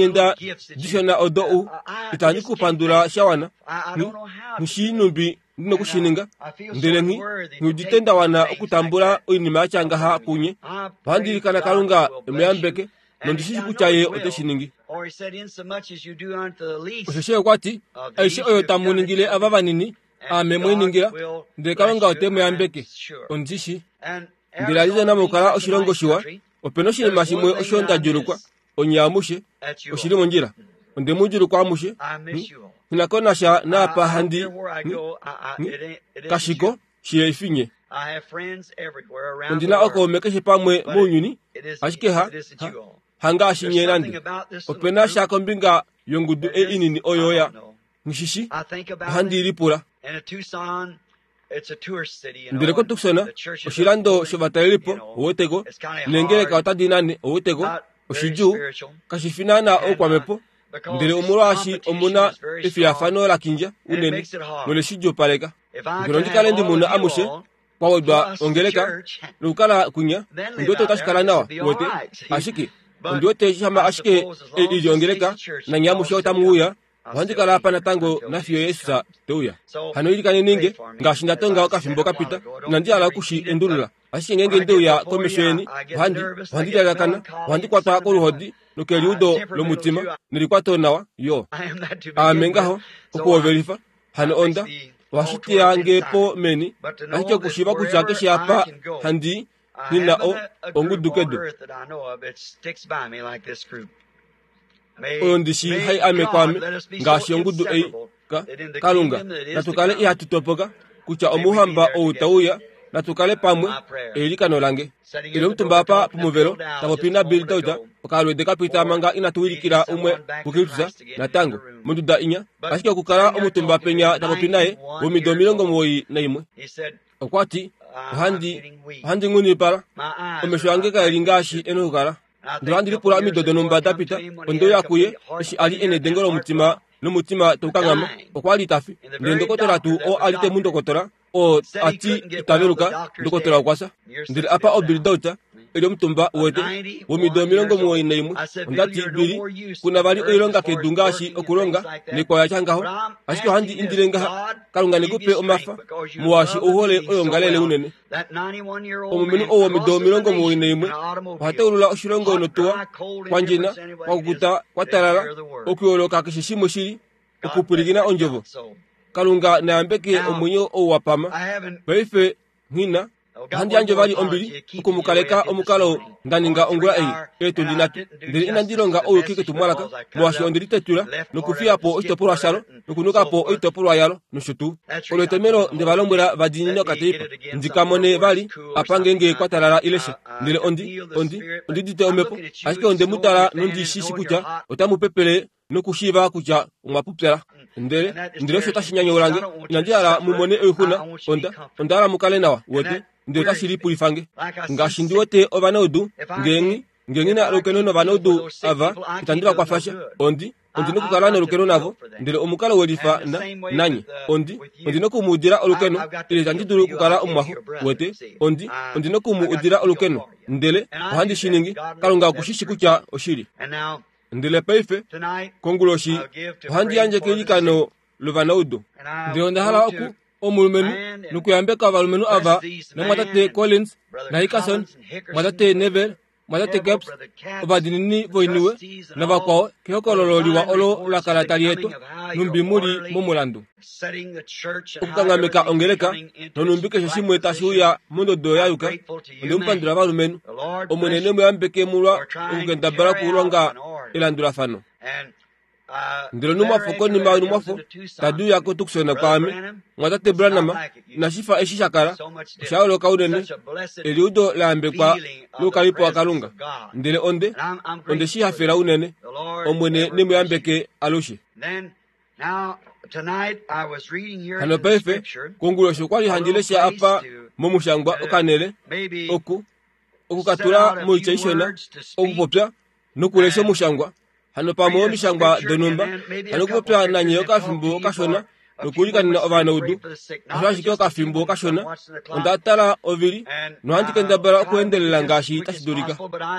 Eeshalinghenda dishona odo u itandi ku pandula sha wana. Nghi, nghi shii nhumbi ndi noku shi ninga. Ndele nghi, nghi udite nda wana okutambula oinima ya tya ngaha kunye. Ohandi ilikana Kalunga e mu yambeke. Nondi shi kutya ye ote shi ningi. Osheshi okwa ti, aishe oyo tamu ningile ava vanini, aame mwe i ningila, ndele Kalunga ote mu yambeke. Ondi shi. Ndele Arizona mokukala oshilongo shiwa, ope na oshinima shimwe osho nda djuulukwa, onye amushe, oshi li mondjila. Onde mu djuulukwa amushe. Nghi na ko nasha naapa handi kashiko shi efinye. Ondi na okaume keshe pamwe mounyuni, ashike ha, ha, hangaashi nye nande. Ope na sha kombinga yongudu ei inini oyo ya nghishishi, ohandi lipula. Ndele koTucson, oshilando shovatalelipo, oweteko, neengeleka otadi nane, oweteko, oshidjuu, kashi fi naana oukwamhepo, ndele omolwaashi omu na efiyafano la kindja unene nole shi djuupaleka. Ngeno ndi kale ndi muna amushe, kwa wedwa ongeleka, nokukala kwinya, ondi wete otashi kala nawa, wete. Ashike, ondi wete shama ashike ei i li ongeleka, nanye amushe otamu uya, ohandi kala apa natango nafiyo Jesus te uya. Hano ilikaneni nge, ngaashi nda tonga okafimbo ka pita, inandi hala oku shi endulula. Ashike ngeenge nde uya komesho yeni, ohandi, ohandi lyalakana, ohandi kwatwa koluhodi nokeliudo lomutima, nelikwato nawa, yo. Aame ngaho, okuhovelifa, hano onda, ohashi teya nge po meni, ashike okushiiva kutya keshe apa handi i, nghi na o, ongudu kedu. Oyo ndi shii hai ame kwaame, ngaashi ongudu ei, ka, Kalunga, natu kale ihatu topoka, kutya omouhamba ou tau uya, natu kale pamwe, eilikano lange. Ile omutumba apa pomuvelo, ta popi naBill Dauter, okalweede ka pita manga inatu wilikila umwe kuKristus, natango, monduda inya, ashike okukala omutumba penya ta popi naye, womido 91. Okwa ti, Ohandi, ohandi nghundipala. Omesho ange kae li ngaashi e na okukala. Ndele ohandi lipula omido donhumba da pita, onde uya kuye, eshi a li e nedengo lomutima nomutima tau kanghama. Okwa li ta fi. Ndele ndokotola tuu oo a li te mu ndokotola, oo a ti ita veluka, ndokotola okwa fya. Ndele apa oBill Dauch, e li omutumba, uwete, womido 91. Onda ti, Billy, ku na vali oilonga kedu ngaashi okulonga, naikwao ya tya ngaho. Ashike ohandi indile ngaha, Kalunga ne ku pe omafa, molwaashi ou hole oyoongalele unene. Omulumenhu ou womido 91 oha taulula oshilongo notuwa, kwa ndjena, kwa kukuta, kwa talala, okuyooloka keshe shimwe shili, okupwilikina ondjovo. Kalunga na yambeke omwenyo ou wa pama. Paife, nghi na. Ohandi yandje vali ombili oku mu kaleka omukalo nda ninga ongula ei, eetundi nhatu. Ndele inandi longa ouyuki ketumwalaka, molwaashi onde litetula nokufiya po oshitopolwa shalo nokunuka po oitopolwa yalo nosho tuu. Olo etomhelo nde va lombwela va diinine okateipa, ndi ka mone vali apa ngeenge kwa talala ile sha. Ndele ondi, ondi, ondi udite omhepo, ashike onde mu tala nondi shi shi kutya otamu pepele nokushiiva kutya omwa pupyala. Ndele, ndele osho tashi nyanyaula nge. Inandi hala mu mone oixuna. Onda, onda hala mu kale nawa, wete. Ndele otashi lipulifa nge. Ngaashi ndi wete ovanaudu, nge nghi, nge nghi na olukeno novanaudu ava, itandi va kwafa sha. Ondi, ondi nokukala nolukeno navo. Ndele omukalo welifa na, nanye. Ondi, ondi noku mu udila olukeno, ile itandi dulu okukala omumwaxo, wete. Ondi, ondi noku mu udila olukeno. Ndele ohandi shi ningi. Kalunga oku shi shi kutya oshili. Ndele paife, konguloshi, ohandi yandje keilikano lovanaudu. Ndele onda hala oku, omulumenhu, nokuyambeka ovalumenhu ava, namwatate Collins, naHickerson, mwatate Neville, mwatate Capps, ovadiinini voiniwe, navakwao, kehokololo liwa olo la kala tali etwa, nhumbi mu li momulandu. Okukanghameka ongeleka, nonhumbi keshe shimwe tashi uya mondodo ya yuka. Onde mu pandula valumenhu. Omwene ne mu yambeke molwa okukendabala okulonga elandulafano. Ndele onhumwafo konima yonhumwafo tadi uya koTucson kwaame, Mumwatate Branham, inashi fa eshi sha kala, osha yooloka unene, eliudo la yambekwa loukalipo waKalunga. Ndele onde, onde shi hafela unene. Omwene ne mu yambeke alushe. Hano paife, konguloshi okwa li handi lesha apa momushangwa okanele, oku, okukatula moitya ishona, okupopya nokulesha omushangwa. Hano pamwe omishangwa donhumba, hano okupopya nanye okafimbo okashona nokuilikanena ovanaudu, osho ashike okafimbo kashona. Onda tala ovili nohandi kendabala okuendelela ngaashi tashi dulika.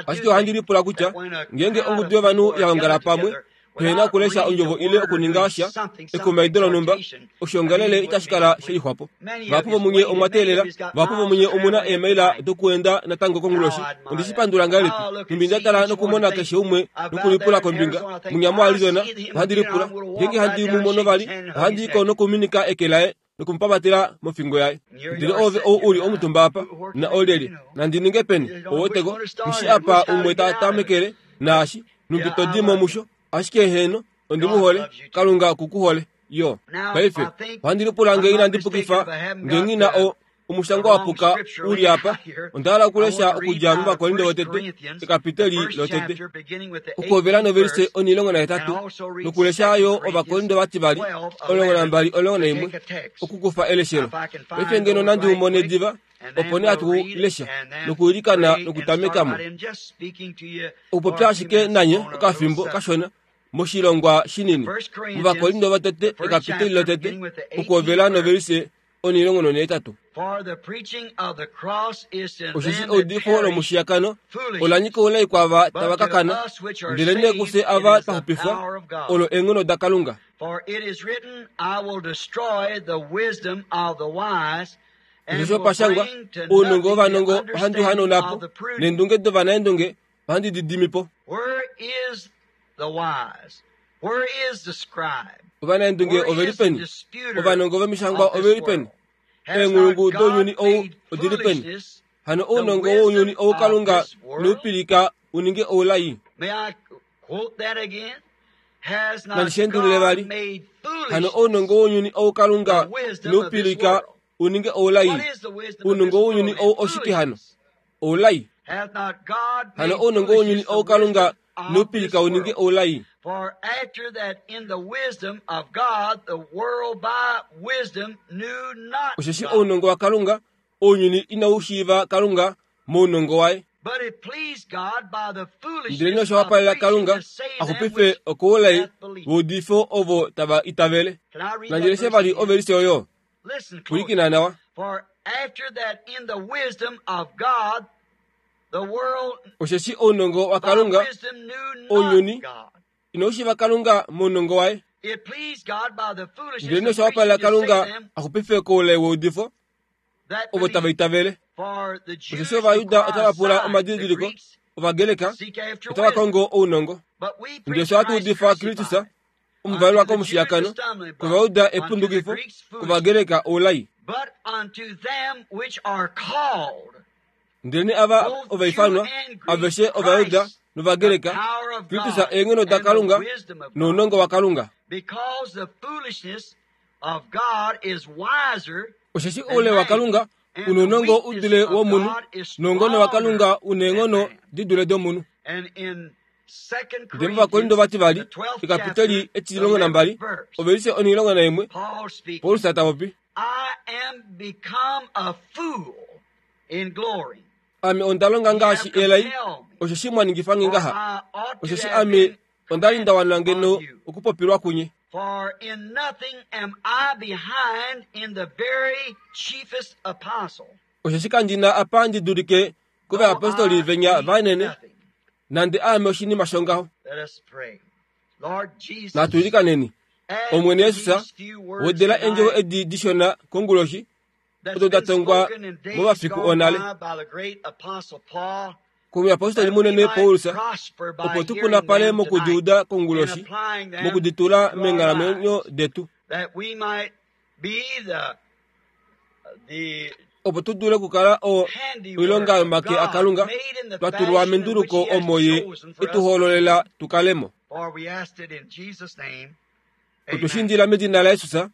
Ashike ohandi lipula kutya ngeenge ongudu yovanhu ya ongala pamwe, Pehena okulesha ondjovo ile okuninga sha ekumaido lonhumba, oshiongalele itashi kala she lixwapo. Vahapu vomunye omwa teelela, vahapu vomunye omu na eemaila dokuenda natango konguloshi. Ondi shi pandula ngahelipi, nhumbi nda tala nokumona keshe umwe nokulipula kombinga, munya moArizona, ohandi lipula, ngeenge handi mu mono vali, ohandi i ko nokuminika eke laye noku mu pamatela mofingo yaye. Ndele ove ou u li omutumba apa, na olyelye, nandi ninge peni? Ou weteko, nghi apa umwe ta tamekele, naashi, nhumbi to di mo musho. Ashike heeno, ondi mu hole. Kalunga oku ku hole, yo. Paife, ohandi lipula nge inandi pukifa, nge nghi na o, omushangwa wa puka u li apa. Onda hala okulesha okudja mOvakorinto votete, ekapiteli lotete, okuhovela novelise 18, nokulesha yo Ovakorinto vativali 12 11, okukufa eleshelo. Paife ngeno nandi u mone diva, opo nee hatu lesha nokuilikana nokutameka mo. Okupopya ashike nanye okafimbo kashona moshilongwa shinini, mOvakorinto votete ekapiteli lotete, okuhovela novelise 18. Osheshi eudifo lomushiyakano ola nyika oulai kwaava tava ka kana, ndelenee kufye ava twa xupifwa, olo eenghono daKalunga. Osheshi opa shangwa, Ounongo wovanongo ohandi u hanauna po, neendunge dovanaendunge ohandi di dimi po. Ovanaendunge ove li peni? Ovanongo vomishangwa ove li peni? Eenghulungu dounyuni ou odi li peni? Hano ounongo wounyuni ou Kalunga inau pilika u ninge oulai. Nandi shi endulule vali. Hano ounongo wounyuni ou Kalunga inau pilika u ninge oulai. Ounongo wounyuni ou oshike hano? Oulai. Hano ounongo wounyuni ou Kalunga inau pilika u ninge oulai. Osheshi ounongo waKalunga ounyuni inau shiiva Kalunga mounongo waye. Ndelenee osha wapalela Kalunga a xupife okoulai weudifo ovo tava itavele. Nandi leshe vali ovelise oyo. Pwilikina nawa. Osheshi ounongo waKalunga ounyuni inau shiiva Kalunga mounongo waye. Ndelenee osha wapalela Kalunga a xupife koulai weudifo ovo tava itavele. Osheshi Ovajuda otava pula omadidiliko, Ovagreka otava kongo ounongo. Ndele fye ohatu udifa Kristus omuvalelwa komushiyakano, kOvajuda epundukifo, kOvagreka oulai. Ndelenee ava ovaifanwa, aveshe Ovajuda nOvagreka, Kristus eenghono daKalunga nounongo waKalunga. Osheshi oule waKalunga u nounongo u dule womunhu, noungone waKalunga u neenghono di dule domunhu. Ndele mOvakorinto vativali, ekapiteli etilongo nambali, ovelise onhilongo naimwe, Paulus ta popi. Ame onda longa ngaashi elai, osheshi mwa ningifa nge ngaha, osheshi ame onda li nda wana ngeno okupopilwa kunye. For in nothing am I behind in the very chiefest apostle. Osheshi kandi na apa ndi dulike kovayapostoli venya vanene, nande aame oshinima shongaho. Let us pray. Lord Jesus, Natu ilikaneni. add Omwene to Jesus, these few words wedela eendjovo tonight edi dishona konguloshi, that's odo da been tongwa spoken in days momafiku gone onale. by by the great apostle Paul, komuyapostoli that we munene might Paulus, prosper by opo tu hearing punapale them tonight mokudiuda and konguloshi, applying them mokuditula to our meenghalamwenyo lives, detu, that we might be the opo tu dule okukala o handiwork oilonga of yomake God aKalunga made in the twa tulwa fashion in which menduluko He has omo ye chosen for e us tu to be. hoololela tu kale mo. For we asked it in Jesus' name. Otwe shi Amen. indila medina laJesus.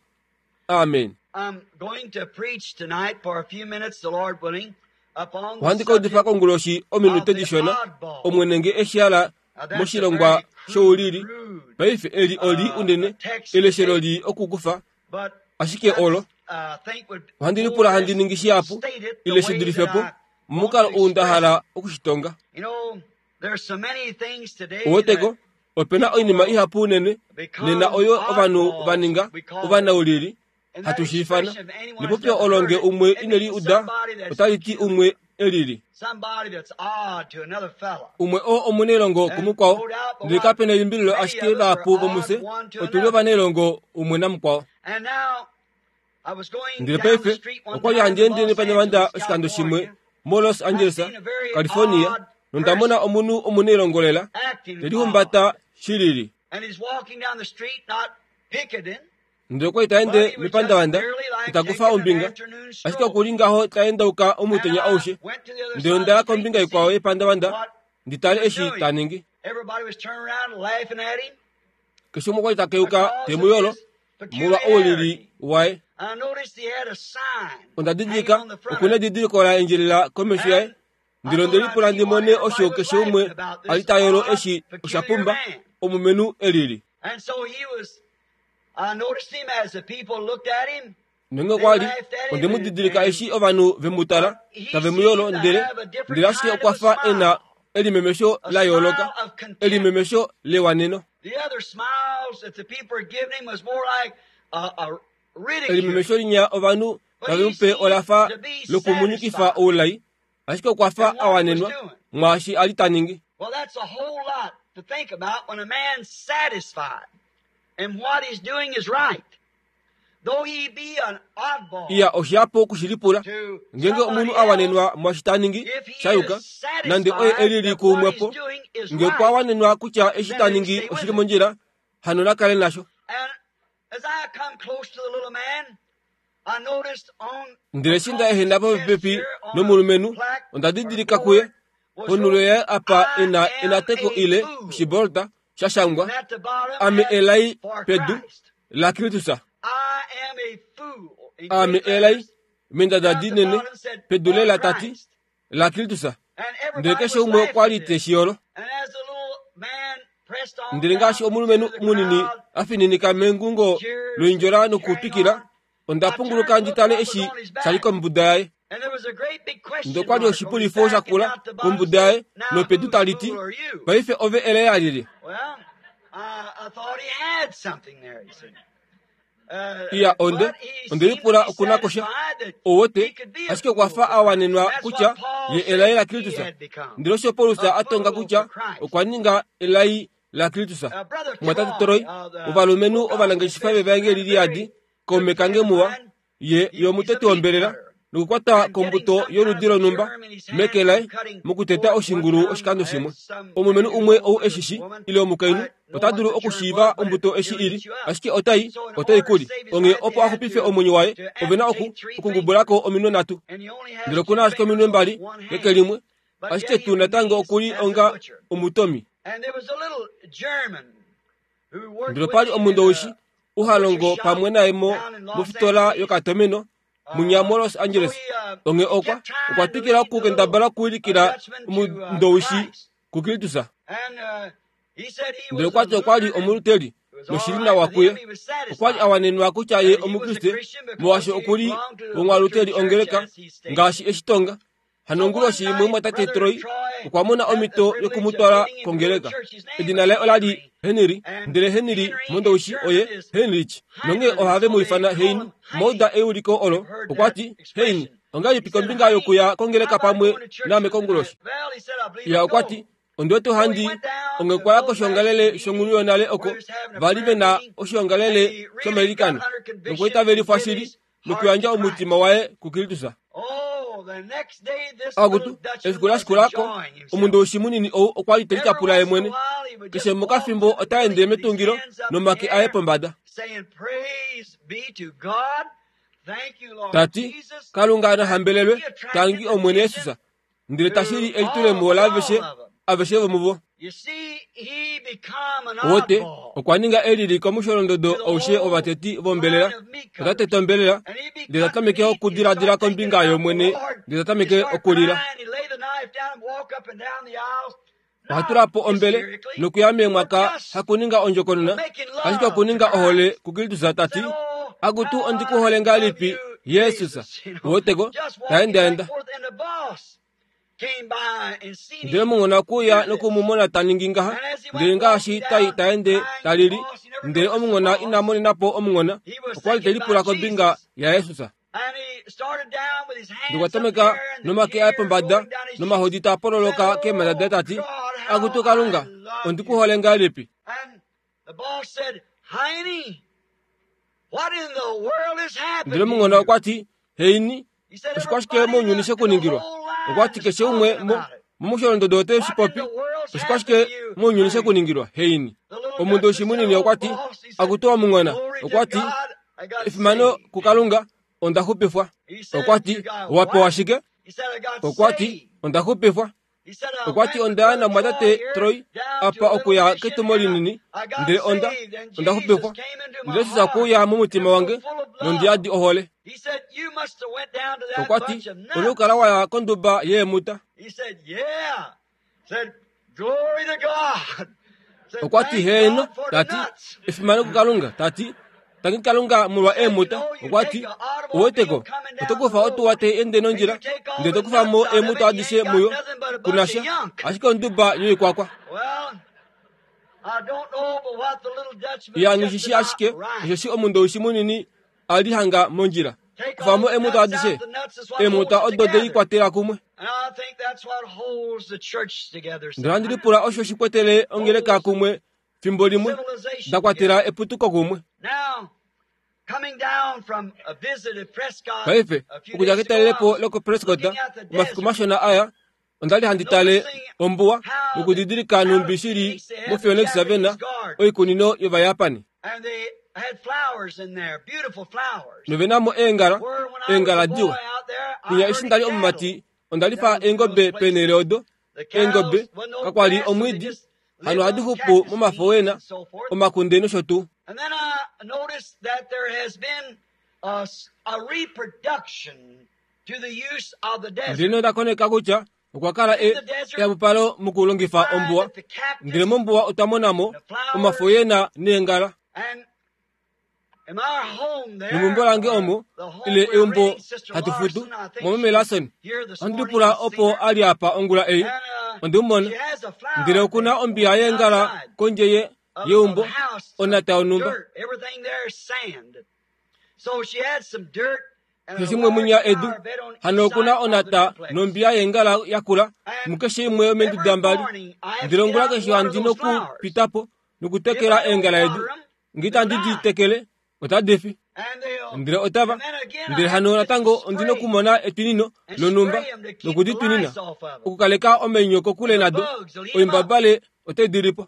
Amen. I'm going to preach tonight for a few minutes, the Lord willing, upon the Ohandi ka udifa subject konguloshi of ominute the dishona, oddball. Omwene nge eshi hala Now that's a moshilongwa very crude, shoulili. rude Paife eli oli unene text to eleshelo take, li okukufa, but ashike olo that's, I think would ohandi more or lipula handi less ningi shihapu state it the ile shi way dulife that po I want momukalo to ou nda express hala it. okushitonga. You know, there's so many things today Oweteko, that ope na oinima people ihapu unene nena become oyo ovanhu va oddballs, ninga we call them. ovanaulili And that hatu shi ifana. expression, if anyone has Nepopyo never olo heard nge it, umwe it ine li means uda somebody that's otali ti peculiar. umwe elili. Umwe oo omunailongo kumukwao, ndele kape na elimbililo ashike vahapu vomufye otu li ovanailongo umwe namukwao. Ndele paife okwa li handi ende nepandavanda oshikando shimwe moLos Angeles, California, nonda mona omunhu omunailongo lela te lihumbata shilili. Ndele okwa li ta ende mepandavanda ita kufa ombinga, ashike oku li ngaho ta endauka omutenya aushe. Ndele onda ya kombinga ikwao yepandavanda ndi tale eshi ta ningi. Keshe umwe okwa li ta keuka te mu yolo molwa oulili waye. Onda didilika oku na edidiliko la endjelela komesho yaye. Ndele onde lipula ndi mone osho keshe umwe a li ta yolo eshi osha pumba omulumenhu elili. Nonge okwa li, onde mu didilika eshi ovanhu ve mu tala, tave mu yolo, ndele, ndele ashike okwa fa e na elimemesho la yooloka, elimemesho lewaneno. Elimemesho linya ovanhu tave mu pe ola fa lokumunyikifa oulai, ashike okwa fa a wanenwa mwaashi a li ta ningi. Iya oshihapu okushilipula ngeenge omunhu a wanenwa mwaashi ta ningi sha yuka, nande oye e lili kuumwepo, nge okwa wanenwa kutya eshi ta ningi oshi li mondjila, hano na kale nasho. Ndele eshi nda ehena popepi nomulumenhu, onda didilika kuye ponhulo yaye apa e na enateko ile oshibolta sha shangwa, Ame elai pedu laKristus. Ame elai mendada dinene pedu lela ta ti, laKristus. Ndele keshe umwe okwa li te shi yolo. Ndele ngaashi omulumenhu munini a fininika mengungo loindjola nokutwikila, onda punguluka ndi tale eshi sha li kombuda yaye. Ndele okwa li oshipulifo sha kula kombuda yaye nopedu tali ti, Paife ove elai lyelye? Iya, onde, onde lipula okuna kosha. Ouwete, ashike okwa fa a wanenwa kutya ye elai laKristus. Ndele osho Paulus a tonga kutya okwa ninga elai laKristus. Mumwatate Troy, ovalumenhu ovanangeshefa vevaengeli liyadi, kaume kange muwa, ye yo omuteti wombelela nokukwata kombuto yoludi lonhumba meke laye mokuteta oshingulu oshikando shimwe. Omulumenhu umwe ou e shi shi, ile omukainhu, ota dulu okushiiva ombuto eshi i li, ashike otai, otai kuli. Onghee opo a xupife omwenyo waye, ove na oku, okungubula ko ominwe nhatu. Ndele oku na ashike ominwe mbali keke limwe, ashike tuu natango oku li onga omutomi. Ndele opa li omundowishi u ha longo pamwe naye mo, mofitola yokatomeno munya moLos Angeles. Onghee okwa, okwa twikila okukendabala okuwilikila omundowishi kuKristus. Ndele okwa ti okwa li omuluteli noshi li nawa kuye. Okwa li a wanenwa kutya ye Omukriste, molwaashi oku li womwaluteli ongeleka, ngaashi e shi tonga. Hano onguloshi imwe omumwatate Troy okwa mona omhito yoku mu twala kongeleka. Edina laye ola li Henry, ndele Henry mOndowishi oye Heinrich, nonghee ohave mu ifana Hein. Mouda euliko olo, okwa ti, Hein, ongahelipi kombinga yokuya kongeleka pamwe naame konguloshi? Ya okwa ti, Ondi wete ohandi onge okwa ya koshiongalele shonghulu yonale oko va li ve na oshiongalele shomailikano, nokwaitavelifwa shili nokuyandja omutima waye kuKristus. Akutu, efiku la shikula ko, omundowishi munini ou okwa li te litapula ye mwene. Keshe mokafimbo ota ende metungilo nomake aye pombada. Ta ti, Kalunga na hambelelwe, tangi Omwene Jesus. Ndele tashi li elitulemo laaveshe aveshe vomuvo. Wote okwa ninga elili komusholondodo aushe wovateti vombelela. Ota tete ombelela, ndele ta tameke okudiladila kombinga yOmwene, ndele ta tameke okulila. Oha tula po ombele nokuya meemwaka hakuninga ondjokonona, ashike okuninga ohole kuKristus ta ti, Akutu ondi ku hole ngahelipi, Jesus. Uweteko, ta endaenda. Ndele omunghona okwe uya noku mu mona ta ningi ngaha, ndele ngaashi ta ta ende ta lili, ndele omunghona ina monena po omunghona, okwa li te lipula kombinga yaJesus. Ndokwa tameka nomake aye pombada nomahodi taa pololoka keemhata daye tati, Akutu Kalunga, ondi ku hole ngahelipi? Ndele munghona okwa ti, Heini, oshikwashike mounyuni she ku ningilwa? Okwa ti keshe umwe mo momusholondodo ote shi popi. Oshikwashike mounyuni she ku ningilwa, Heini? Omundu oshimunini okwa ti, Akutu omunghona, okwa ti, efimano kuKalunga, onda xupifwa. Okwa ti, Owa pewa shike? Okwa ti, Onda xupifwa. Okwa ti, Onda ya namwatate Troy apa okuya ketumo linini, ndele onda, onda xupifwa. Ndele Jesus okwe uya momutima wange nondi yadi ohole. Okwa ti, Ouna okukala wa ya konduba yeemuta. Okwa ti, Heeno, ta ti, efimano kuKalunga, ta ti, tangi Kalunga molwa eemuta. Okwa ti, Uweteko, oto kufa otuwa tai ende nondjila, ndele to kufa mo eemuta adishe muyo, ku na sha, ashike onduba yoikwakwa. Ya nghi shi shi ashike osheshi omundowishi munini a li hanga mondjila. Kufa mo eemuta adishe, eemuta odo de i kwatela kumwe. Ndele ohandi lipula osho shi kwetele ongeleka kumwe fimbo limwe, da kwatela eputuko kumwe. Paife, okudja ketalelepo lokoPrescott omafiku mashona aya, onda li handi tale ombuwa nokudidilika nhumbi shi li moPhoenix Savannah, oikunino yOvajapani. Nove na mo eengala, eengala diwa. Kwinya eshi nda li omumati, onda lifa eengobe peenhele odo. Eengobe, kakwa li omwiidi, hano ohadi xupu momafo wena, omakunde nosho tuu. Ndele nonda koneka kutya okwa kala e ehapupalo mokulongifa ombuwa. Ndele mombuwa otwa mona mo omafo yena neengala. Nomeumbo lange omo, ile eumbo hatu futu, mwameme Larson, ohandi lipula opo a li apa ongula ei. Onde mu mona. Ndele oku na ombiya yeengala kondje ye, yeumbo, onata yonhumba. Keshe shimwe munya edu, hano oku na onata nombiya yeengala yakula mukeshe imwe yomeenduda mbali. Ndele ongula keshe handi nokupita po nokutekela eengala edu. Nge itandi di tekele, otadi fi. Ndele otava. Ndele hano natango ondi nokumona etwinino lonhumba noku di twinina, okukaleka omainyo kokule nado, oimbabale otai di li po.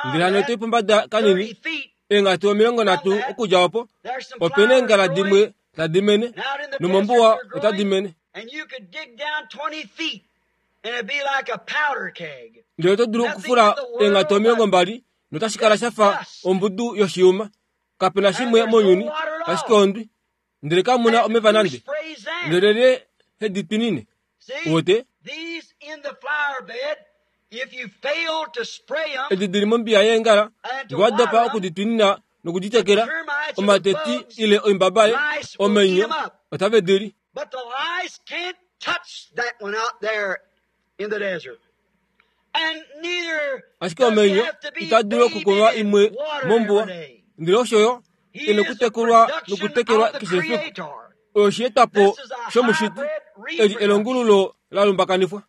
Ndele hano to i pombada kanini, eenghatu 30 okudja opo, ope na eengala dimwe tadi mene, nomombuwa otadi mene. Ndele oto dulu okufula eenghatu 20 notashi kala sha fa ombudu yoshiyuma. Kape na shimwe mounyuni ashike ondwi. Ndele kamu na omeva nande. Ndele lyelye he di twinine? Uwete? Edi di li mombiya yeengala, nge wa dopa oku di twinina noku di tekela, omateti ile oimbabale, omainyo, otave di li. Ashike omainyo itaa dulu okukunwa imwe mombuwa, ndele osho yo e na okutekulwa nokutekelwa keshe efiku. Oyo oshietwapo shomushiti, eli elongululo la lumbakanifwa.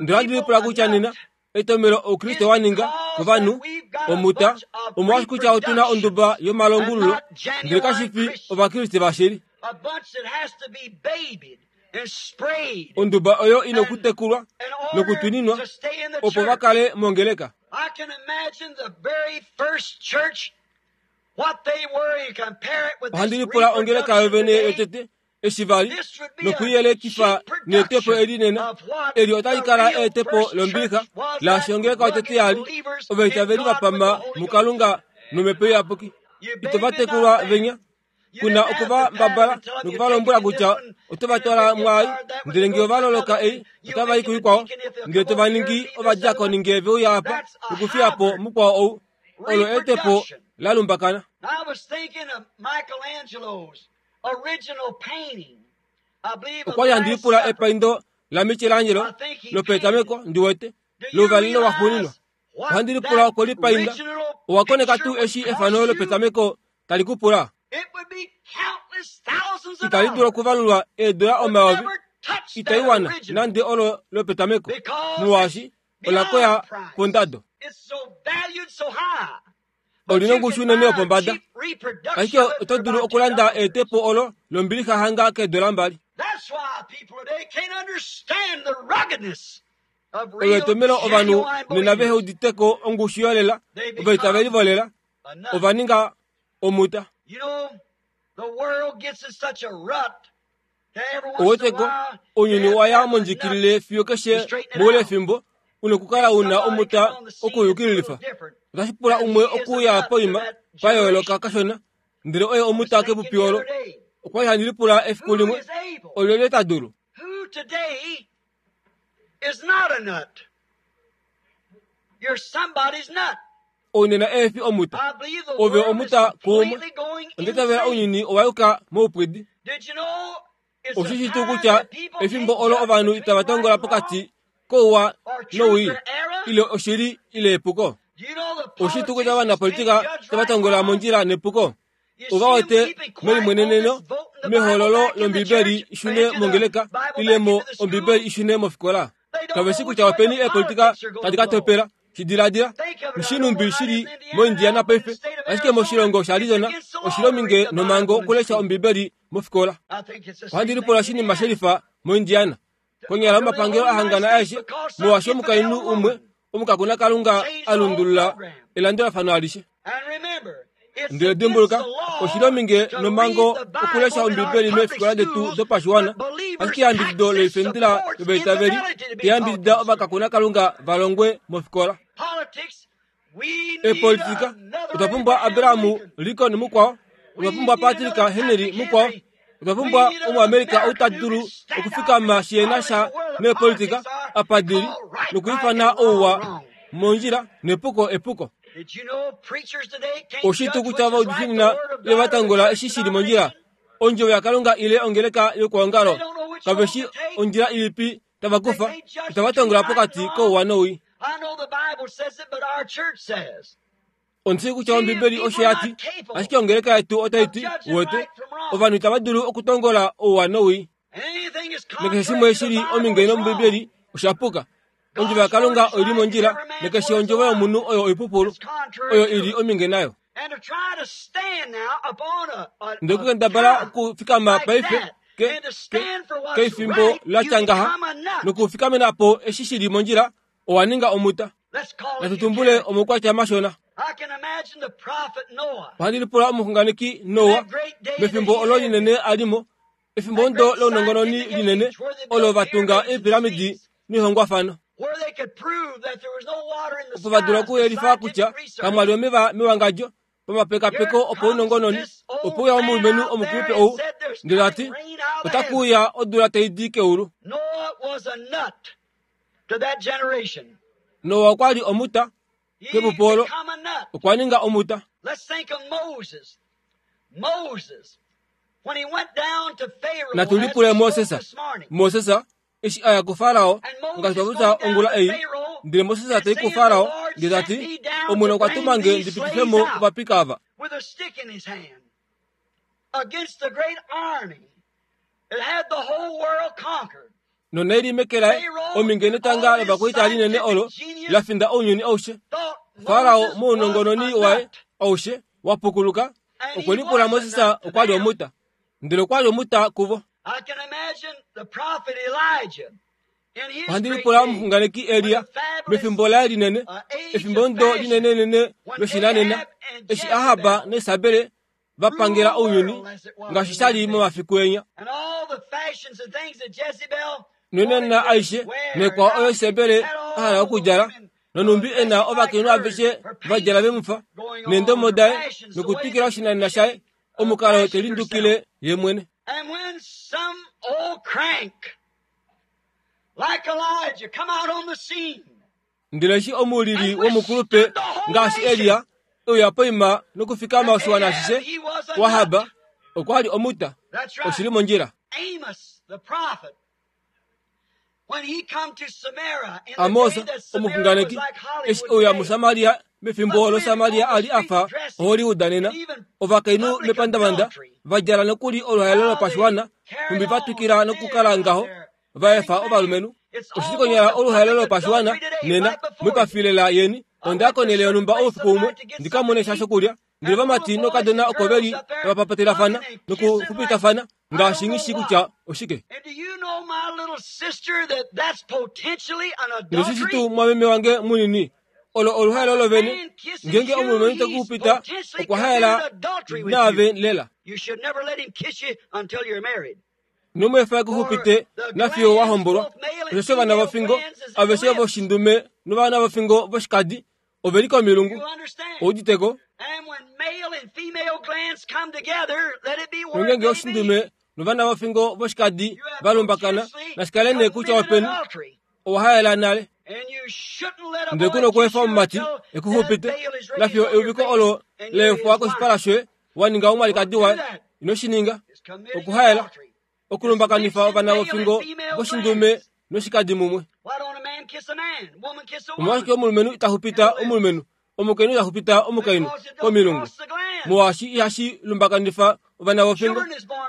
Ndele ohandi lipula kutya nena etomelo Oukriste wa ninga kovanhu omuta omolwaashi kutya otu na onduba yomalongululo, ndele kashi fi Ovakriste vashili. Onduba oyo i nokutekulwa nokutwininwa opo va kale mongeleka. Ohandi lipula ongeleka yovene yotete eshi va li nokuyelekifa neetepo eli nena. Eli otali kala eetepo lombilixa laashi ongeleka yotete ya li ovaitaveli va pama muKalunga nomhepo iyapuki. Ito va tekulwa venya. Ku na oku va mbabala noku va lombwela kutya oto va twala mwaai, ndele nge ova loloka ei, otava i kuikwao, ndele to va ningi ovadiakoni nge ve uya apa nokufiya po mukwao ou. Olo eetepo la lumbakana. Okwa li handi lipula epaindo laMichelangelo lopetameko, ndi wete, louvalelo waxuuninwa. Ohandi lipula okwe lipainda. Owa koneka tuu eshi efano lopetameko tali ku pula? Itali dulu okuvalulwa eedula omayovi, itai wana nande olo lopetameko, molwaashi ola koya pondado. Oli na ongushu unene yopombada, ashike oto dulu okulanda eetepo olo lombilixa hanga keedola mbali. Olo etomhelo ovanhu nena vehe udite ko ongushu yolela, ovaitaveli volela ova ninga omuta. Ouweteko, ounyuni owa ya mondjikilile fiyo keshe moule fimbo u nokukala u na omuta okuyukililifa. Otashi pula umwe okuuya poima pa yooloka kashona, ndele oye omuta kepupi olo. Okwa li handi lipula efiku limwe, olyelye ta dulu? Ounena eefi omuta. Ove omuta kuumwe. Onda itavela ounyuni owa yuka moupwidi. Oshi shi tuu kutya efimbo olo ovanhu itava tongola pokati kouwa nowii, ile oshili ile epuko? Oshi tuu kutya ovanapolitika itava tongola mondjila nepuko? Ova wete melimweneneno mehololo lOmbibeli i shune mongeleka ile mo Ombibeli i shune mofikola. Kave shi kutya openi eepolitika tadi ka topela. Shi diladila, Shinumbi shi li moIndiana paife, ashike moshilongo shaArizona oshi li ominge nomhango okulesha Ombibeli mofikola. Ohandi lipula oshinima she lifa moIndiana. Konyala omapangelo a hangana aeshe, molwaashi omukainhu umwe omukakunakalunga a lundulula elandulafano alishe. Ndele dimbuluka, oshi li ominge nomhango okulesha Ombibeli meefikola detu dopashiwana, ashike eyambidido loifendela yovaitaveli tayambidida ovakakunakalunga va longwe mofikola. Eepolitika, otwa pumbwa Abraham Lincoln mukwao, otwa pumbwa Patrick Henry mukwao, otwa pumbwa Omuamerica ou ta dulu okufikama shi na sha neepolitika apa di li nokwiifana ouwa mondjila nepuko epuko. Oshi tuu kutya ovaudifi nena ile va tangola eshi shi li mondjila, Ondjovo yaKalunga ile ongeleka yokwoongalo, kave shi ondjila ilipi tava kufa, itava tongola pokati kouwa nowii. Ondi shii kutya Ombibeli osho ya ti, ashike ongeleka yetu otai ti, Uwete, ovanhu itava dulu okutongola ouwa nowii. Nakeshe shimwe shi li ominge nOmbibeli osha puka. Ondjovo yaKalunga oi li mondjila, nakeshe ondjovo yomunhu oyo oipupulu, oyo i li ominge nayo. Ndele okukendabala okufikama paife ke, ke, keifimbo la tya ngaha nokufikamena po eshi shi li mondjila, owa ninga omuta. Natu tumbule omaukwatya mashona. Ohandi lipula omuxunganeki Noa mefimbo olo linene a li mo, efimbo ndo lounongononi linene olo va tunga eepiramidi noihongwafano. Opo va dula okuyelifa kutya kamwa li omeva mewangadjo pamapekapeko opaunongononi, ope uya omulumenhu omukulupe ou ndele ta ti, Otaku uya odula tai di keulu. Noa okwa li omuta kepupu olo, okwa ninga omuta. Natu lipule Moses. Moses eshi a ya kuFarao, ngaashi twa popya ongula ei, ndele Moses ta i kuFarao ndele ta ti, Omwene okwa tuma nge ndi pitife mo ovapika ava. Nonai li meke laye ominge netanga lovakwaita linene olo la finda ounyuni aushe. Farao mounongononi waye aushe wa pukuluka okwe lipula Moses okwa li omuta, ndele okwa li omuta kuvo. Ohandi lipula omuxunganeki Elia mefimbo laye linene, efimbo ndo linenenene loshinanena, eshi Ahab naIsabel va pangela ounyuni ngaashi sha li momafiku enya. Nonena aishe naikwao oyo Isebel a hala okudjala, nonhumbi e na ovakainhu aveshe va djala ve mu fa, neendomo daye, nokutwikila oshinanena shaye, omukalo te lindukile ye mwene. Ndele eshi omuulili womukulupe ngaashi Elia e uya poima nokufikama oshiwana ashishe kuAhab, okwa li omuta. Oshi li mondjila. Amos omuxunganeki eshi euya muSamaria mefimbo olo Samaria a li a fa Hollywood nena, ovakainhu mepandavanda va djala nokuli oluhaelo lopashiwana, nhumbi va twikila nokukala ngaho, va efa ovalumenhu. Oshili konyala oluhaelo lopashiwana nena, moipafilela yeni. Onda ya konhele yonhumba oufiku umwe ndi ka mone sha shokulya, ndele ovamati noukadona oko ve li tava papatelafana nokuxupitafana ngaashi nghi shii kutya oshike. Ndele oshishi tuu mwameme wange munini, olo oluhaelo lovene, ngeenge omulumenhu te ku xupita okwa haela naave lela. Ino mu efa e ku xupite nafiyo wa hombolwa, osheshi ovana vofingo aveshe voshindume novana vofingo voshikadi ove li komilungu. Ou udite ko? Nongeenge oshindume novana vofingo voshikadi va lumbakana, nashi kale nee kutya openi, owa haela nale. Ndele ku na okweefa omumati e ku xupite nafiyo euviko olo la efwa koshipala shoye wa ninga omwalikadi waye. Ino shi ninga. Okuhaela, okulumbakanifa ovana vofingo voshindume noshikadi mumwe. Omolwashike omulumenhu ita xupita omulumenhu, omukainhu ita xupita omukainhu komilungu? Molwaashi ihashi lumbakanifa ovana vofingo.